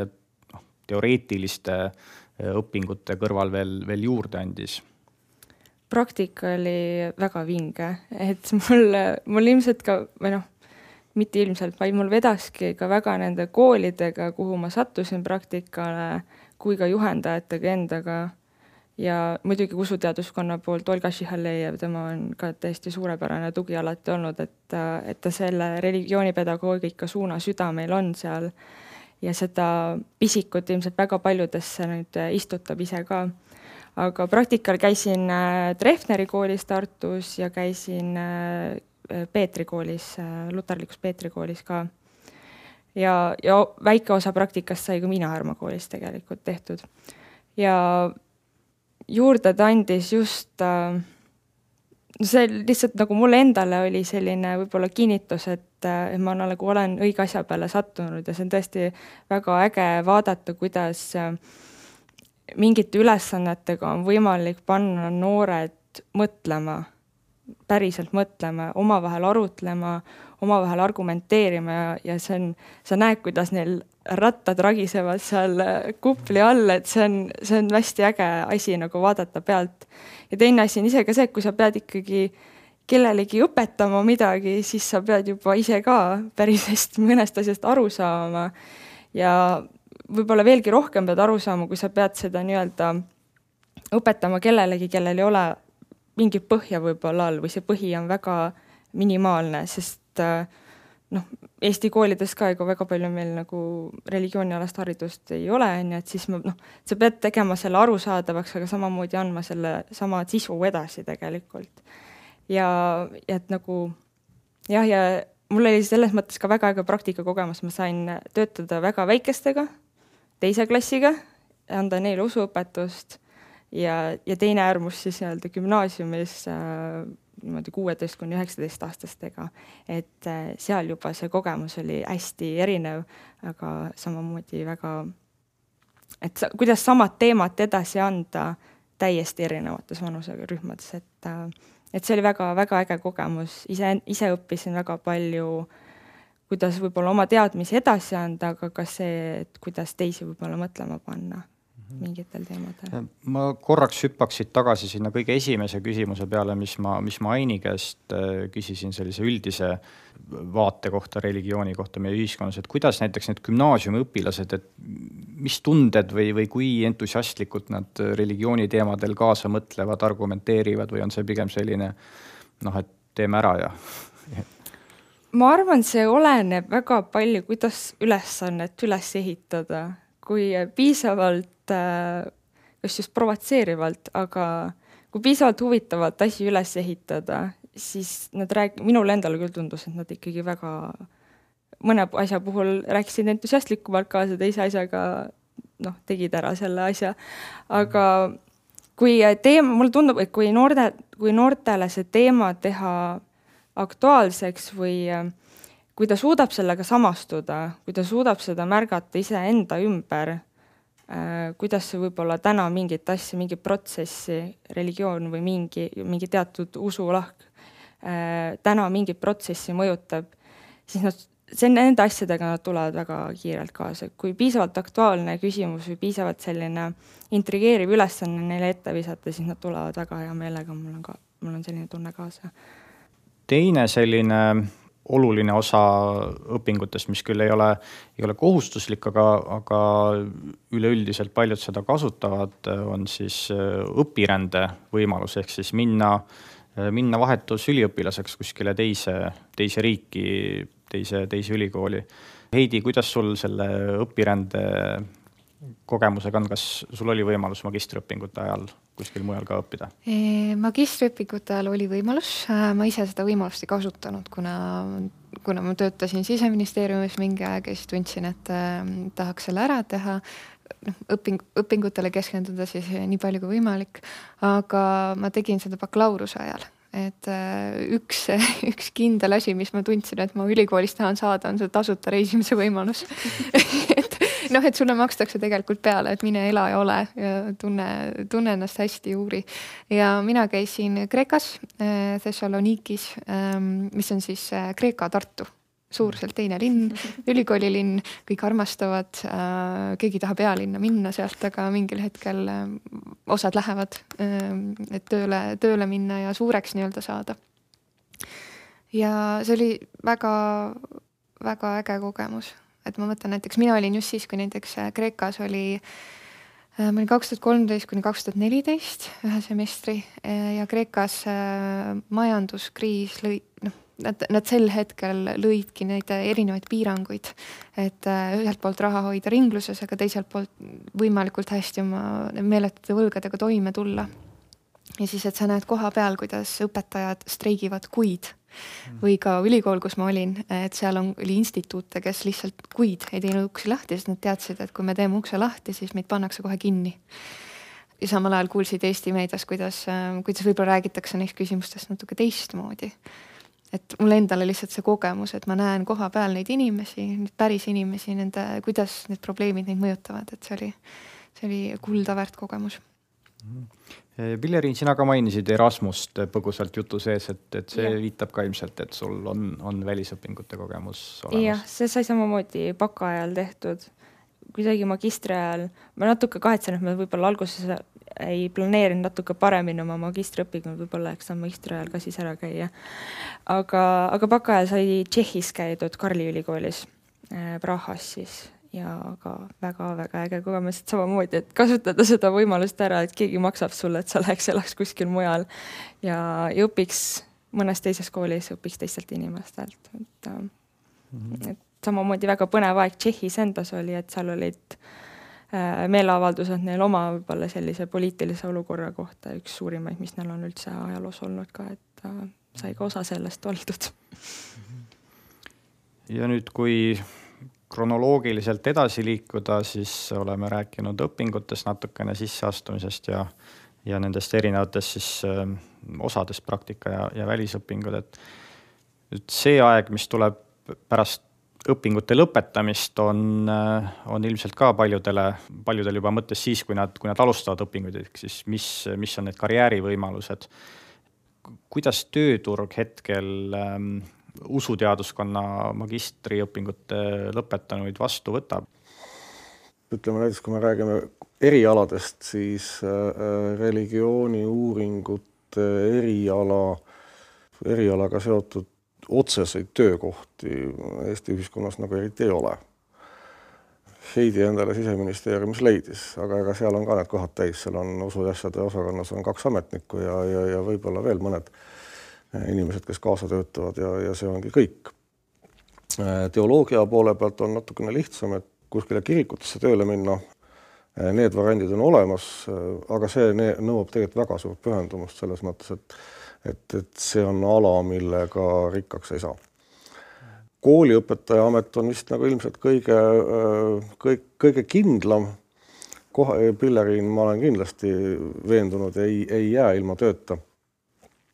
S1: no, teoreetiliste õpingute kõrval veel, veel juurde andis?
S3: Praktika oli väga vinge, et mul, mul ilmselt ka, või noh, mitte ilmselt, vaid mul vedaski ka väga nende koolidega, kuhu ma sattusin praktikale, kui ka juhendajatega endaga. Ja muidugi usuteaduskonna poolt Olga Šihallejev, tema on ka täiesti suurepärane tugi alati olnud, et, et ta selle religioonipedagoogika suuna süda meil on seal ja seda pisikut ilmselt väga paljudesse nüüd istutab ise ka. Aga praktikal käisin Treffneri koolis Tartus ja käisin Peetri koolis, luterlikus Peetri koolis ka. Ja, ja väike osa praktikast sai ka Miina-Härma koolis tegelikult tehtud. Ja juurde ta andis just, see lihtsalt nagu mulle endale oli selline võib-olla kinnitus, et ma nagu olen õige asja peale sattunud ja see on tõesti väga äge vaadata, kuidas mingite ülesannetega on võimalik panna noored mõtlema, päriselt mõtlema, omavahel arutlema, omavahel argumenteerima ja, ja see on, sa näed, kuidas neil rattad ragisevad seal kupli all, et see on, see on hästi äge asi nagu vaadata pealt. Ja teine asi on ise ka see, et kui sa pead ikkagi kellelegi õpetama midagi, siis sa pead juba ise ka päris hästi mõnest asjast aru saama ja võib-olla veelgi rohkem pead aru saama, kui sa pead seda nii-öelda õpetama kellelegi, kellel ei ole mingit põhja võib-olla all või see põhi on väga minimaalne, sest noh, Eesti koolides ka ega väga palju meil nagu religioonialast haridust ei ole, nii et siis ma, noh, sa pead tegema selle arusaadavaks, aga samamoodi andma selle sama sisu edasi tegelikult. Ja, ja et nagu jah, ja mul oli selles mõttes ka väga äge praktika kogemus, ma sain töötada väga väikestega, teise klassiga, anda neile usuõpetust ja, ja teine äärmus siis nii-öelda gümnaasiumis äh, niimoodi kuueteist kuni üheksateist aastastega, et seal juba see kogemus oli hästi erinev, aga samamoodi väga, et sa, kuidas samad teemat edasi anda täiesti erinevates vanuserühmades, et, et see oli väga, väga äge kogemus, ise, ise õppisin väga palju, kuidas võib-olla oma teadmisi edasi anda, aga ka see, et kuidas teisi võib-olla mõtlema panna mingitel teemadel.
S1: Ma korraks hüppaksid tagasi sinna kõige esimese küsimuse peale, mis ma, mis ma Aini käest küsisin sellise üldise vaate kohta, religiooni kohta meie ühiskonnas, et kuidas näiteks need gümnaasiumi õpilased, et mis tunded või, või kui entusiastlikult nad religiooni teemadel kaasa mõtlevad, argumenteerivad või on see pigem selline, noh, et teeme ära ja...
S3: Ma arvan, see oleneb väga palju, kuidas ülesannet üles ehitada, kui piisavalt, kas just provotseerivalt, aga kui piisavalt huvitavalt asi üles ehitada, siis nad rääk-, minule endale küll tundus, et nad ikkagi väga mõne asja puhul rääkisid entusiastlikumalt kaasa, teise asjaga noh, tegid ära selle asja. Aga kui teema, mulle tundub, et kui, noorte, kui noortele see teema teha aktuaalseks või kui ta suudab sellega samastuda, kui ta suudab seda märgata ise enda ümber, kuidas see võib-olla täna mingit asja, mingi protsessi, religioon või mingi, mingi teatud usulahk täna mingit protsessi mõjutab, siis nad, see nende asjadega nad tulevad väga kiirelt kaasa. Kui piisavalt aktuaalne küsimus või piisavalt selline intrigeeriv ülesanne neile ette visata, siis nad tulevad väga hea meelega, mul on, ka, mul on selline tunne kaasa.
S1: Teine selline oluline osa õpingutest, mis küll ei ole, ei ole kohustuslik, aga, aga üleüldiselt paljud seda kasutavad, on siis õpirände võimalus, ehk siis minna, minna vahetus üliõpilaseks kuskile teise, teise riiki, teise, teise ülikooli. Heidi, kuidas sul selle õpirände kogemusega on, kas sul oli võimalus magistriõpingute ajal kuskil mujal ka õppida?
S4: Magistriõpingute ajal oli võimalus, ma ise seda võimalust ei kasutanud, kuna, kuna ma töötasin Siseministeeriumis mingi aeg ja siis tundsin, et tahaks selle ära teha, noh, õping, õpingutele keskenduda siis nii palju kui võimalik, aga ma tegin seda bakalaureuse ajal. Et üks, üks kindel asi, mis ma tundsin, et ma ülikoolis tahan saada, on see tasuta reisimise võimalus. et, noh, et sulle makstakse tegelikult peale, et mine ela ja ole ja tunne, tunne ennast hästi uuri. Ja mina käisin Kreekas, Thessalonikis, mis on siis Kreeka Tartu. Suurselt teine linn, ülikoolilinn, kõik armastavad, keegi tahab pealinna minna sealt, aga mingil hetkel osad lähevad, et tööle, tööle minna ja suureks nii-öelda saada. Ja see oli väga, väga äge kogemus. Et ma mõtlen näiteks, mina olin just siis, kui näiteks Kreekas oli, ma olin kaks tuhat kolmteist kuni kaks tuhat neliteist ühe semestri ja Kreekas majanduskriis lõi, noh, Nad, nad sel hetkel lõidki neid erinevaid piiranguid, et ühelt poolt raha hoida ringluses, aga teiselt poolt võimalikult hästi oma meeletute võlgadega toime tulla. ja siis, et sa näed koha peal, kuidas õpetajad streigivad kuid või ka ülikool, kus ma olin, et seal on, oli instituute, kes lihtsalt kuid ei teinud uksi lahti, sest nad teadsid, et kui me teeme ukse lahti, siis meid pannakse kohe kinni. Ja samal ajal kuulsid Eesti meedias, kuidas, kuidas võib-olla räägitakse neist küsimustest natuke teistmoodi. Et mulle endale lihtsalt see kogemus, et ma näen koha peal neid inimesi, neid päris inimesi, nende, kuidas need probleemid neid mõjutavad, et see oli, see oli kulda väärt kogemus.
S1: Pillerin, sina ka mainisid Erasmust põgusalt jutu sees, et, et see ja. viitab ka ilmselt, et sul on, on välisõpingute kogemus olemas.
S3: Jah, see sai samamoodi baka ajal tehtud. Kuidagi magistri ajal, ma natuke kahetsen, et ma võib-olla alguses ei planeerinud natuke paremini oma magistriõpingud, võib-olla eks ta magistri ajal ka siis ära käia. Aga, aga baka ajal sai Tšehhis käidud Karli ülikoolis Prahas siis. Ja ka väga-väga äge kogemus, et samamoodi, et kasutada seda võimalust ära, et keegi maksab sulle, et sa läheks elaks kuskil mujal ja, ja õpiks mõnes teises koolis, õpiks teistelt inimestelt. Et, mm-hmm. et samamoodi väga põnev aeg Tšehhis endas oli, et seal olid äh, meeleavaldused neil oma võib-olla sellise poliitilise olukorra kohta, üks suurimaid, mis neil on üldse ajaloos olnud ka, et äh, sai ka osa sellest oldud.
S1: Ja nüüd, kui kronoloogiliselt edasi liikuda, siis oleme rääkinud õpingutest natukene sisseastumisest ja, ja nendest erinevatest siis äh, osadest praktika ja, ja välisõpingud. Et nüüd see aeg, mis tuleb pärast õpingute lõpetamist, on, äh, on ilmselt ka paljudele, paljudel juba mõttes siis, kui nad, kui nad alustavad õpinguid, siis mis, mis on need karjäärivõimalused. Kuidas tööturg hetkel ähm, usuteaduskonna magistriõpingute lõpetanuid vastu võtab?
S2: Ütleme näiteks, kui me räägime erialadest, siis religiooni uuringute eriala, erialaga seotud otseseid töökohti Eesti ühiskonnas nagu eriti ei ole. Heidi endale Siseministeeriumis leidis, aga ega seal on ka need kohad täis, seal on usuasjade osakonnas on kaks ametnikku ja, ja, ja võib-olla veel mõned inimesed, kes kaasa töötavad ja, ja see ongi kõik. Teoloogia poole pealt on natukene lihtsam, et kuskile kirikutesse tööle minna. Need variandid on olemas, aga see nõuab tegelikult väga suurt pühendumust selles mõttes, et, et, et see on ala, millega rikkaks ei saa. Kooliõpetaja amet on vist nagu ilmselt kõige, kõige, kõige kindlam. Koha, Pillerin, ma olen kindlasti veendunud, ei, ei jää ilma tööta.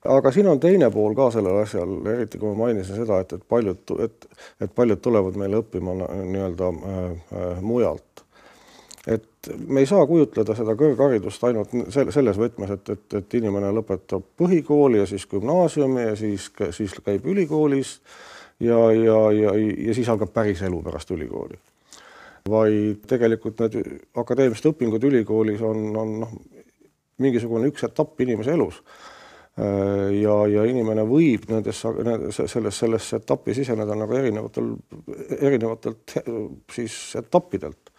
S2: Aga siin on teine pool ka sellel asjal, eriti kui ma mainisin seda, et, et, paljud, et, et paljud tulevad meile õppima nii-öelda äh, mujalt. Et me ei saa kujutleda seda kõrgharidust ainult selles võtmes, et, et, et inimene lõpetab põhikooli ja siis gümnaasiumi ja siis, siis käib ülikoolis ja, ja, ja, ja siis algab päris elu pärast ülikooli. Vaid tegelikult need akadeemilised õpingud ülikoolis on, on noh, mingisugune üks etapp inimese elus. Ja, ja inimene võib nendes, selles, selles etappi siseneda nagu erinevatel, erinevatelt siis etappidelt.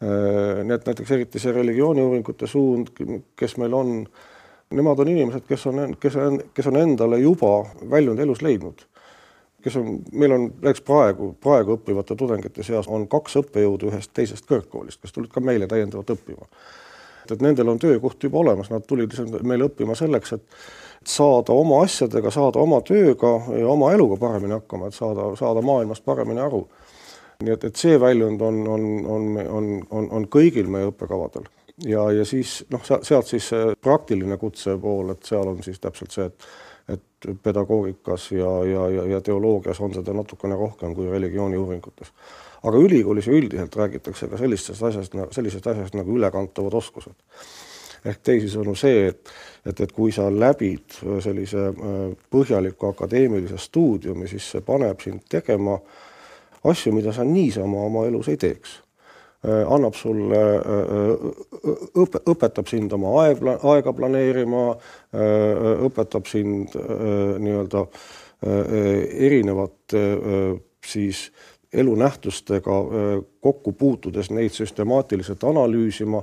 S2: Need näiteks eriti see religiooniuuringute suund, kes meil on, nemad on inimesed, kes on, kes on, kes on endale juba väljunud elus leidnud. Kes on, meil on näiteks praegu, praegu õppivate tudengite seas on kaks õppejõudu ühest teisest kõrgkoolist, kes tulid ka meile täiendavalt õppima. Et nendel on töökoht juba olemas, nad tulid meile õppima selleks, et saada oma asjadega, saada oma tööga ja oma eluga paremini hakkama, et saada, saada maailmast paremini aru. Nii et, et see väljund on, on, on, on, on, on kõigil meie õppekavadel. Ja, ja siis noh, sealt siis praktiline kutse pool, et seal on siis täpselt see, et, et pedagoogikas ja, ja, ja, ja teoloogias on seda natukene rohkem kui religiooni uuringutes. Aga ülikoolis üldiselt räägitakse ka sellisest asjast, sellisest asjast nagu ülekantavad oskused. Ehk teisisõnu see, et, et, et kui sa läbid sellise põhjaliku akadeemilise stuudiumi, siis see paneb sind tegema asju, mida sa niisama oma elus ei teeks. Annab sulle, õpe, õpetab sind oma aega, aega planeerima, õpetab sind nii-öelda erinevat siis elunähtustega kokku puutudes neid süstemaatiliselt analüüsima,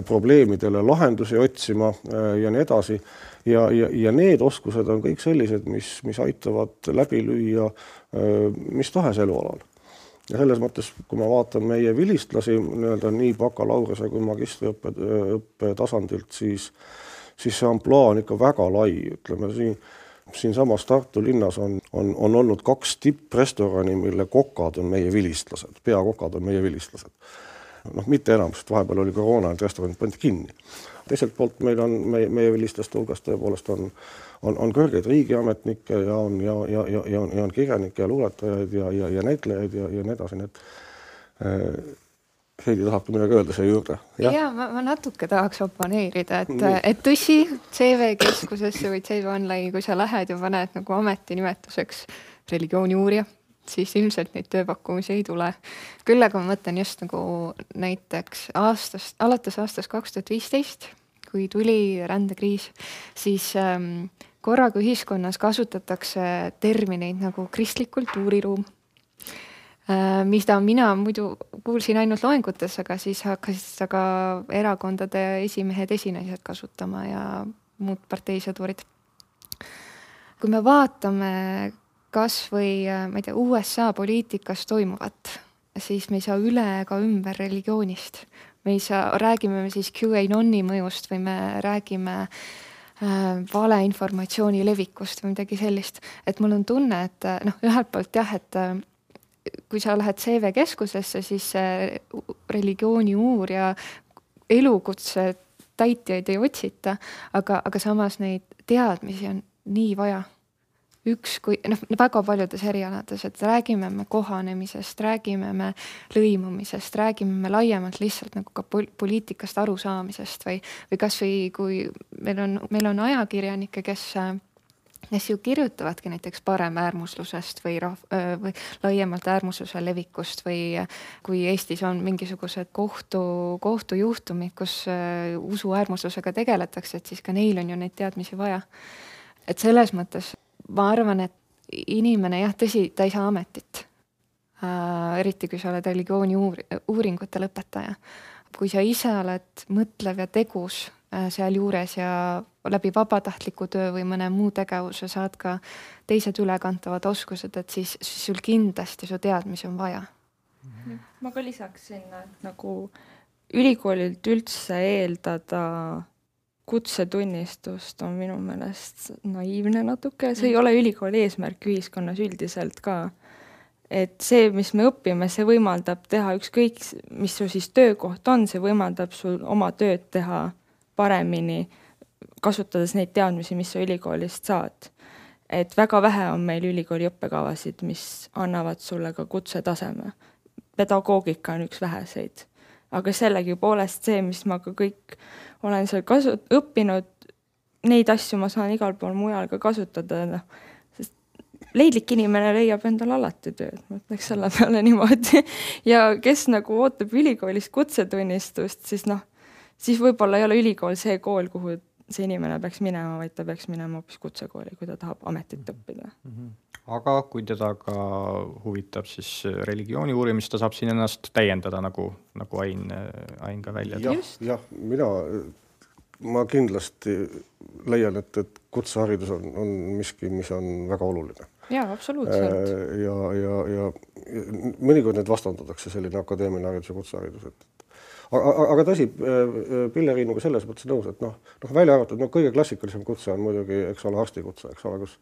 S2: probleemidele lahendusi otsima ja nii edasi. Ja, ja, ja need oskused on kõik sellised, mis, mis aitavad läbi lüüa mis tahes elualal. Ja selles mõttes, kui ma vaatan meie vilistlasi nii-öelda nii bakalaureuse kui magistriõppe õppe tasandilt, siis, siis see ampluaa on ikka väga lai, ütleme siin, siin samas Tartu linnas on, on, on olnud kaks tipprestorani, mille kokad on meie vilistlased, peakokad on meie vilistlased. Noh, mitte enam, sest vahepeal oli koroona, et restoranid pandi kinni. Teiselt poolt meil on, meie, meie vilistlaste hulgas tõepoolest on, on, on kõrgeid riigiametnikke ja on, ja, ja, ja, ja on, ja on kirjanikke ja luuletajaid ja, ja, ja näitlejaid ja, ja nii edasi, nii et äh, Heidi tahab midagi öelda see juurde.
S4: Ja, ja ma, ma natuke tahaks oponeerida, et, et tõsi, C V keskusesse või C V Online'i, kui sa lähed ja paned nagu ametinimetuseks religiooni uurija, siis ilmselt neid tööpakkumisi ei tule. Küll aga ma mõtlen just nagu näiteks aastast, alates aastast kaks tuhat viisteist, kui tuli rändekriis, siis ähm, korraga ühiskonnas kasutatakse termineid nagu kristlik kultuuriruum, mida mina muidu kuulsin ainult loengutes, aga siis hakkasid aga erakondade esimehed, esinaised kasutama ja muud parteisõdurid. Kui me vaatame kas või ma ei tea, U S A poliitikas toimuvat, siis me ei saa üle ega ümber religioonist. Me ei saa, räägime me siis QAnoni mõjust või me räägime äh, valeinformatsiooni levikust või midagi sellist. Et mul on tunne, et noh, ühelt poolt jah, et kui sa lähed C V keskusesse, siis religiooni uurija elukutse täitjaid ei otsita, aga, aga samas neid teadmisi on nii vaja. Üks, kui, noh, väga paljudes erialades, et räägime me kohanemisest, räägime me lõimumisest, räägime me laiemalt lihtsalt nagu ka poliitikast arusaamisest või, või kas või kui meil on, meil on ajakirjanikke, kes kes ju kirjutavadki näiteks parem äärmuslusest või, rahv, või laiemalt äärmusluse levikust või kui Eestis on mingisugused kohtu, kohtujuhtumid, kus usu äärmuslusega tegeletakse, et siis ka neil on ju neid teadmisi vaja. Et selles mõttes ma arvan, et inimene jah, tõsi, ta ei saa ametit. Äh, eriti kui sa oled religiooni uur, uuringute lõpetaja. Kui sa ise oled mõtlev ja tegus seal juures ja läbi vabatahtliku töö või mõne muu tegevuse saad ka teised ülekantavad oskused, et siis, siis sul kindlasti su teadmisi on vaja.
S3: Ma ka lisaks sinna, et nagu ülikoolilt üldse eeldada kutsetunnistust on minu meelest naiivne natuke. See ei ole ülikooli eesmärk ühiskonnas üldiselt ka. Et see, mis me õpime, see võimaldab teha ükskõik, mis su siis töökoht on, see võimaldab sul oma tööd teha paremini, kasutades neid teadmisi, mis sa ülikoolist saad. Et väga vähe on meil ülikooli õppekavasid, mis annavad sulle ka kutsetaseme. Pedagoogika on üks väheseid. Aga sellegi poolest see, mis ma ka kõik olen seal kasu- õppinud, neid asju ma saan igal pool mujal ka kasutada. No, sest leidlik inimene leiab endal alati tööd, ma ütleks selle peale niimoodi. Ja kes nagu ootab ülikoolist kutsetunnistust, siis noh, siis võib-olla ei ole ülikool see kool, kuhu see inimene peaks minema, vaid ta peaks minema hoopis kutsekooli, kui ta tahab ametit õppida.
S1: Mm-hmm. Aga kui teda ka huvitab siis religiooni uurimist, ta saab siin ennast täiendada, nagu, nagu Ain, Ain ka välja.
S2: Jah, jah, mina ma kindlasti leian, et, et kutseharidus on, on miski, mis on väga oluline.
S3: Jaa, absoluutselt.
S2: Ja, ja, ja, ja mõnikord need vastandatakse selline akadeemiline haridus ja kutseharidus, et Aga, aga tõsi, Pilleriinuga selles mõttes nõus, et noh, noh välja arvatud, no kõige klassikalisem kutse on muidugi, eks ole, arstikutse, eks ole, kus,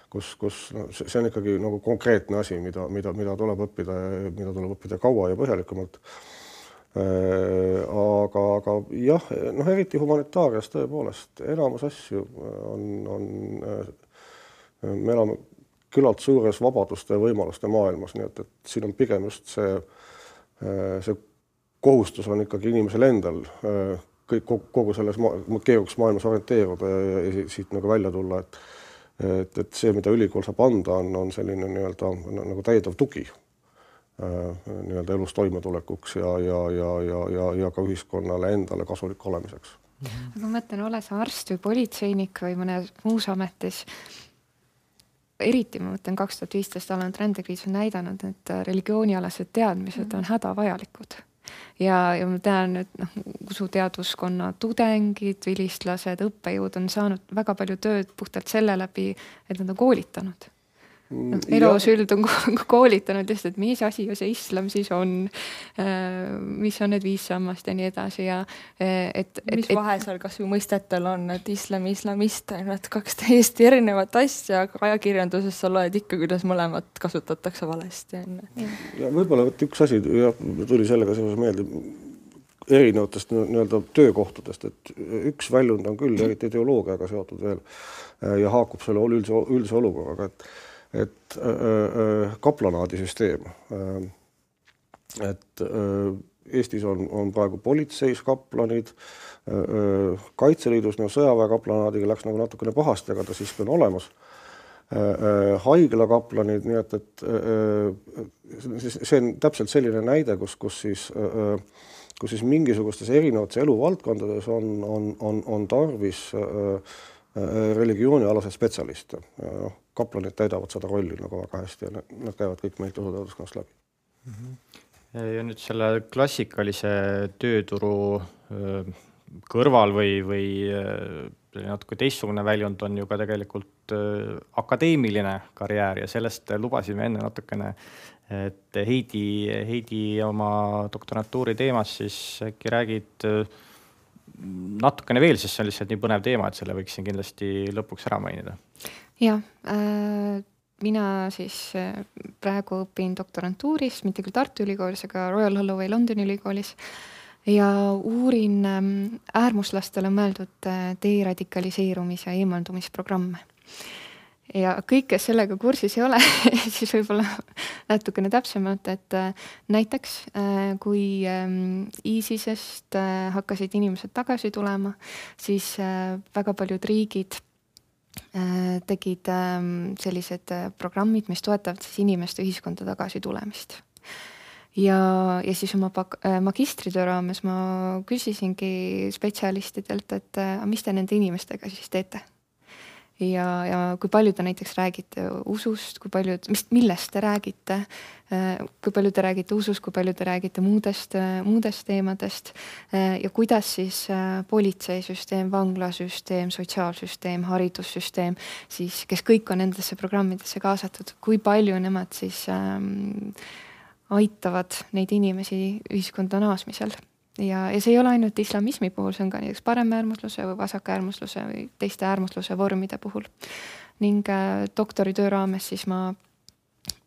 S2: kus, kus no, see on ikkagi nagu konkreetne asi, mida, mida, mida tuleb õppida, mida tuleb õppida kaua ja põhjalikumalt. Aga, aga jah, noh, eriti humanitaarias tõepoolest, enamus asju on, on, me elame küllalt suures vabaduste ja võimaluste maailmas, nii et, et siin on pigem just see, see kohustus on ikkagi inimesel endal kõik, kogu selles keerukas maailmas orienteeruda ja, ja siit nagu välja tulla, et, et, et see, mida ülikool saab anda, on, on selline nii-öelda nagu täiendav tugi nii-öelda elus toimetulekuks ja, ja, ja, ja, ja, ja ka ühiskonnale endale kasulik olemiseks.
S4: Aga ma mõtlen, ole sa arst või politseinik või mõne muus ametis, eriti ma mõtlen kaks tuhat viisteist alanud rändekriis on näidanud, et religioonialased teadmised on hädavajalikud. Ja, ja ma tean, et noh, usuteaduskonna tudengid, vilistlased, õppejõud on saanud väga palju tööd puhtalt selle läbi, et nad on koolitanud. No, elosüld on koolitanud lihtsalt, et mis asi see islam siis on, mis on need viis sammast ja nii edasi ja et, et
S3: mis vahe seal kas või mõistetel on, et islam, islamist on need kaks täiesti erinevat asja, aga ajakirjanduses sa loed ikka, kuidas mõlemat kasutatakse valesti.
S2: Ja võib-olla võt üks asi ja, tuli sellega seoses meelde erinevatest nii-öelda töökohtadest, et üks väljund on küll eriti ideoloogiaga seotud veel ja haakub selle üldse, üldse olukorraga, et et äh, kaplanaadisüsteem. Et äh, Eestis on, on praegu politseis kaplanid, äh, Kaitseliidus no, sõjaväe kaplanaadiga läks nagu natukene pahasti, aga ta siiski on olemas. Äh, haigla kaplanid, nii et, et äh, see on täpselt selline näide, kus, kus, siis, äh, kus siis mingisugustes erinevates eluvaldkondades on, on, on, on tarvis äh, religioonialased spetsialiste. Ja, kaplanid täidavad seda rolli nagu väga hästi ja nad käivad kõik meilt usuteaduskonnast läbi.
S1: Mm-hmm. Ja nüüd selle klassikalise tööturu kõrval või, või natuke teistsugune väljund on ju ka tegelikult akadeemiline karjäär ja sellest lubasime enne natukene, et Heidi, Heidi oma doktorantuuri teemas siis äkki räägid natukene veel, sest see on lihtsalt nii põnev teema, et selle võiksin kindlasti lõpuks ära mainida.
S4: Ja, äh, mina siis praegu õpin doktorantuuris, mitte küll Tartu Ülikoolis, aga Royal Holloway Londoni ülikoolis ja uurin äärmuslastele mõeldud deradikaliseerumis- ja eemaldumisprogramme. Ja kõik, kes sellega kursis ei ole, siis võib-olla natukene täpsemalt, et näiteks kui ISISest hakkasid inimesed tagasi tulema, siis väga paljud riigid tegid sellised programmid, mis toetavad siis inimeste ühiskonda tagasi tulemist. Ja, ja siis oma magistritöö raames ma küsisingi spetsialistidelt, et mis te nende inimestega siis teete? Ja, ja kui palju te näiteks räägite usust, kui palju, mis, millest te räägite, kui palju te räägite usust, kui palju te räägite muudest, muudest teemadest ja kuidas siis politseisüsteem, vanglasüsteem, sotsiaalsüsteem, haridussüsteem, siis kes kõik on nendesse programmidesse kaasatud, kui palju nemad siis ähm, aitavad neid inimesi ühiskonda naasmisel. Ja, ja see ei ole ainult islamismi puhul, see on ka näiteks paremäärmusluse või vasakäärmusluse või teiste äärmusluse vormide puhul. Ning äh, doktoritöö raames siis ma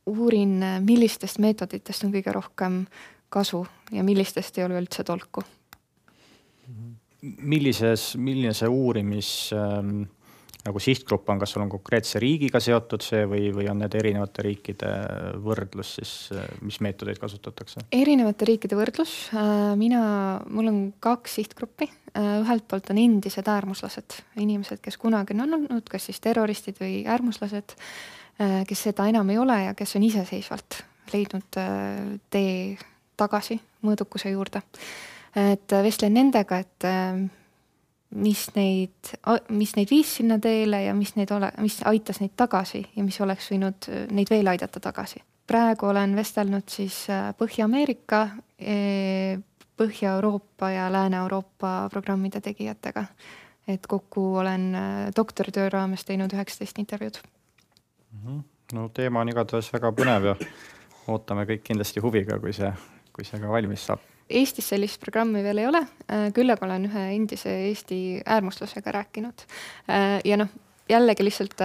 S4: uurin, millistest meetoditest on kõige rohkem kasu ja millistest ei ole üldse tolku.
S1: Millises, milline see uurimis ähm, nagu sihtgrupp on, kas sul on konkreetse riigiga seotud see või, või on need erinevate riikide võrdlus, siis mis meetodeid kasutatakse?
S4: Erinevate riikide võrdlus. Mina, mul on kaks sihtgruppi. Ühelt poolt on endised äärmuslased, inimesed, kes kunagi on olnud, kas siis terroristid või äärmuslased, kes seda enam ei ole ja kes on iseseisvalt leidnud tee tagasi mõõdukuse juurde. Et vestlen nendega, et mis neid, mis neid viis sinna teele ja mis, neid ole, mis aitas neid tagasi ja mis oleks võinud neid veel aidata tagasi. Praegu olen vestelnud siis Põhja-Ameerika, Põhja-Euroopa ja Lääne-Euroopa programmide tegijatega. Et kokku olen doktoritöö raames teinud üheksateist intervjuud.
S1: No teema on igatahes väga põnev ja ootame kõik kindlasti huviga, kui see, kui see ka valmis saab.
S4: Eestis sellist programmi veel ei ole, küll aga olen ühe endise Eesti äärmuslasega rääkinud. Ja noh, jällegi lihtsalt,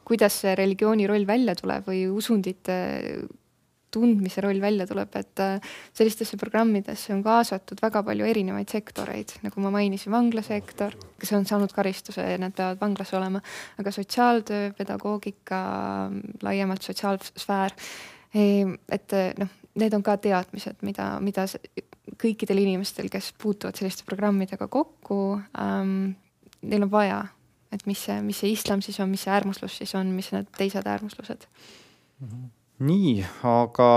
S4: kuidas see religiooni roll välja tuleb või usundite tundmise roll välja tuleb, et sellistesse programmidesse on kaasatud väga palju erinevaid sektoreid, nagu ma mainisin, vanglasektor, kes on saanud karistuse ja nad peavad vanglas olema, aga sotsiaaltöö, pedagoogika, laiemalt sotsiaalsfäär, et noh, need on ka teadmised, mida, mida kõikidel inimestel, kes puutuvad selliste programmidega kokku, ähm, neil on vaja, et mis see, mis see islam siis on, mis see äärmuslus siis on, mis need teised äärmuslused.
S1: Nii, aga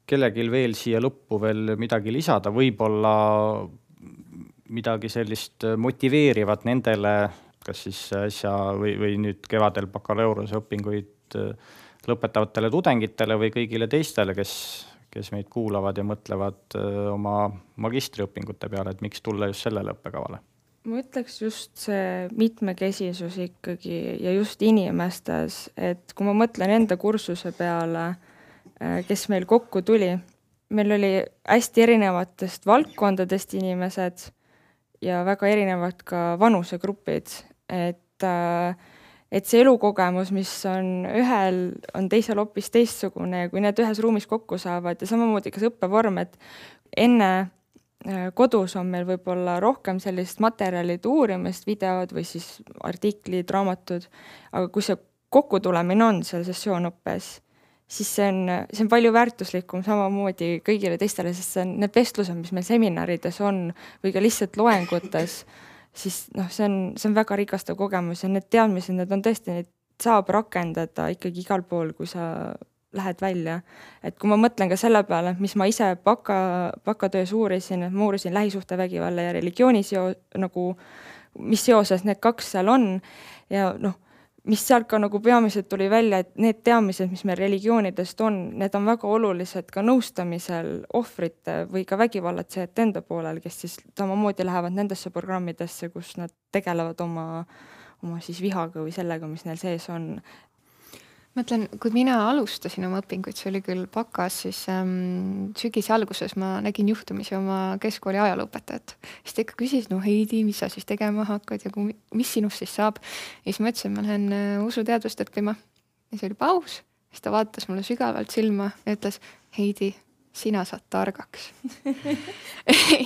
S1: kellegil veel siia lõppu veel midagi lisada, võib-olla midagi sellist motiveerivat nendele, kas siis äsja või, või nüüd kevadel bakalaureuse õpinguid lõpetavatele tudengitele või kõigile teistele, kes, kes meid kuulavad ja mõtlevad oma magistriõpingute peale, et miks tulla just sellele õppekavale?
S3: ma ütleks just see mitmekesisus ikkagi ja just inimestes, et kui ma mõtlen enda kursuse peale, kes meil kokku tuli, meil oli hästi erinevatest valdkondadest inimesed ja väga erinevad ka vanusegrupid, et, et see elukogemus, mis on ühel, on teisel hoopis teistsugune ja kui need ühes ruumis kokku saavad ja samamoodi ka see õppevorm, et enne kodus on meil võib-olla rohkem sellist materjalid uurimist, videod või siis artiklid, raamatud, aga kui see kokkutulemine on seal sessioonõppes, siis see on, see on palju väärtuslikum samamoodi kõigile teistele, sest see on need vestlused, mis meil seminarides on või ka lihtsalt loengutes, siis noh, see on, see on väga rikastav kogemus ja need teadmised, need on tõesti, neid saab rakendada ikkagi igal pool, kui sa lähed välja. Et kui ma mõtlen ka selle peale, mis ma ise baka, bakatöös uurisin, et ma uurisin lähisuhtevägivalla ja religiooni seo, nagu, mis seoses need kaks seal on ja noh, mis sealt ka nagu peamiselt tuli välja, et need teadmised, mis meil religioonidest on, need on väga olulised ka nõustamisel ohvrite või ka vägivallatsejate enda poolel, kes siis samamoodi lähevad nendesse programmidesse, kus nad tegelevad oma, oma siis vihaga või sellega, mis neil sees on.
S4: Ma ütlen, kui mina alustasin oma õpinguid, see oli küll bakas, siis ähm, sügise alguses ma nägin juhtumisi oma keskkooli ajalooõpetajat. Siis ta ikka küsis, no Heidi, mis sa siis tegema hakkad ja kui, mis sinust siis saab? Ja siis ma ütlesin, ma lähen usuteadust õppima. Ja see oli paus. Siis ta vaatas mulle sügavalt silma ja ütles, Heidi, sina saad targaks.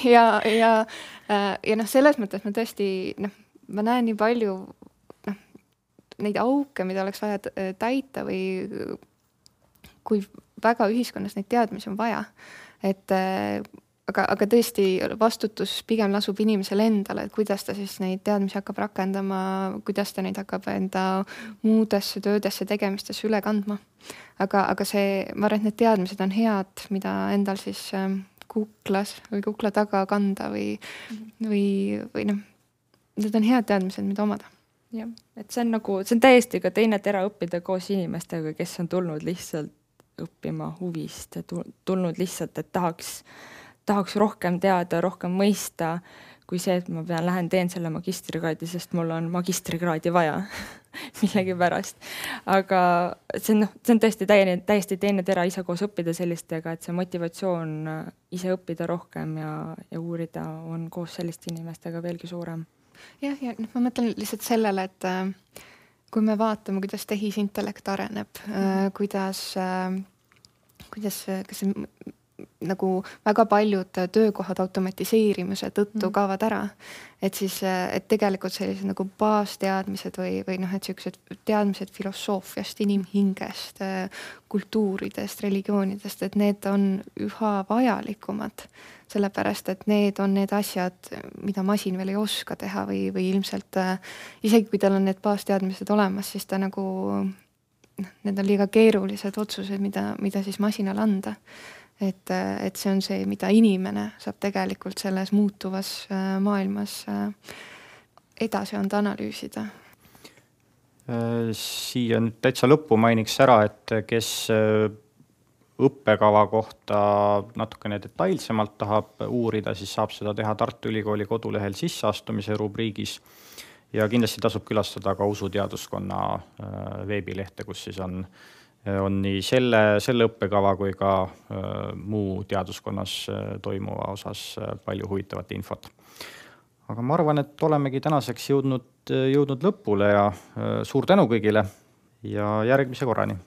S4: ja ja, ja noh, selles mõttes ma tõesti, noh, ma näen nii palju neid auke, mida oleks vaja täita või kui väga ühiskonnas neid teadmisi on vaja. Et, aga, aga tõesti vastutus pigem lasub inimesele endale, et kuidas ta siis neid teadmisi hakkab rakendama, kuidas ta neid hakkab enda muudesse töödesse tegemistesse üle kandma. Aga, aga see, ma arvan, et need teadmised on head, mida endal siis kuklas või kukla taga kanda või, või, või noh, need on head teadmised, mida omada.
S3: Jah, et see on nagu, see on täiesti ka teine tera õppida koos inimestega, kes on tulnud lihtsalt õppima huvist ja tulnud lihtsalt, et tahaks, tahaks rohkem teada, rohkem mõista, kui see, et ma pean lähen teen selle magistrikraadi, sest mul on magistrikraadi vaja millegi pärast. Aga see on, see on tõesti täiesti, täiesti teine tera ise koos õppida sellistega, et see motivatsioon ise õppida rohkem ja, ja uurida on koos selliste inimestega veelgi suurem.
S4: Jah, ja noh, ma mõtlen lihtsalt sellele, et äh, kui me vaatame, kuidas tehisintellekt areneb, äh, kuidas, äh, kuidas kas see, nagu väga paljud töökohad automatiseerimise tõttu mm. kaovad ära, et siis, et tegelikult sellised nagu baasteadmised või, või noh, et sellised teadmised filosoofiast, inimhingest, kultuuridest, religioonidest, et need on üha vajalikumad, sellepärast, et need on need asjad, mida masin veel ei oska teha või, või ilmselt isegi kui tal on need baasteadmised olemas, siis ta nagu, need on liiga keerulised otsused, mida, mida siis masinal anda. Et, et see on see, mida inimene saab tegelikult selles muutuvas maailmas edasi anda analüüsida.
S1: Siia nüüd täitsa lõppu mainiks ära, et kes õppekava kohta natukene detailsemalt tahab uurida, siis saab seda teha Tartu Ülikooli kodulehel sisseastumise rubriigis ja kindlasti tasub külastada ka usuteaduskonna veebilehte, kus siis on on nii selle, selle õppekava kui ka äh, muu teaduskonnas äh, toimuva osas äh, palju huvitavat infot. Aga ma arvan, et olemegi tänaseks jõudnud, jõudnud lõpule ja äh, suur tänu kõigile ja järgmise korrani.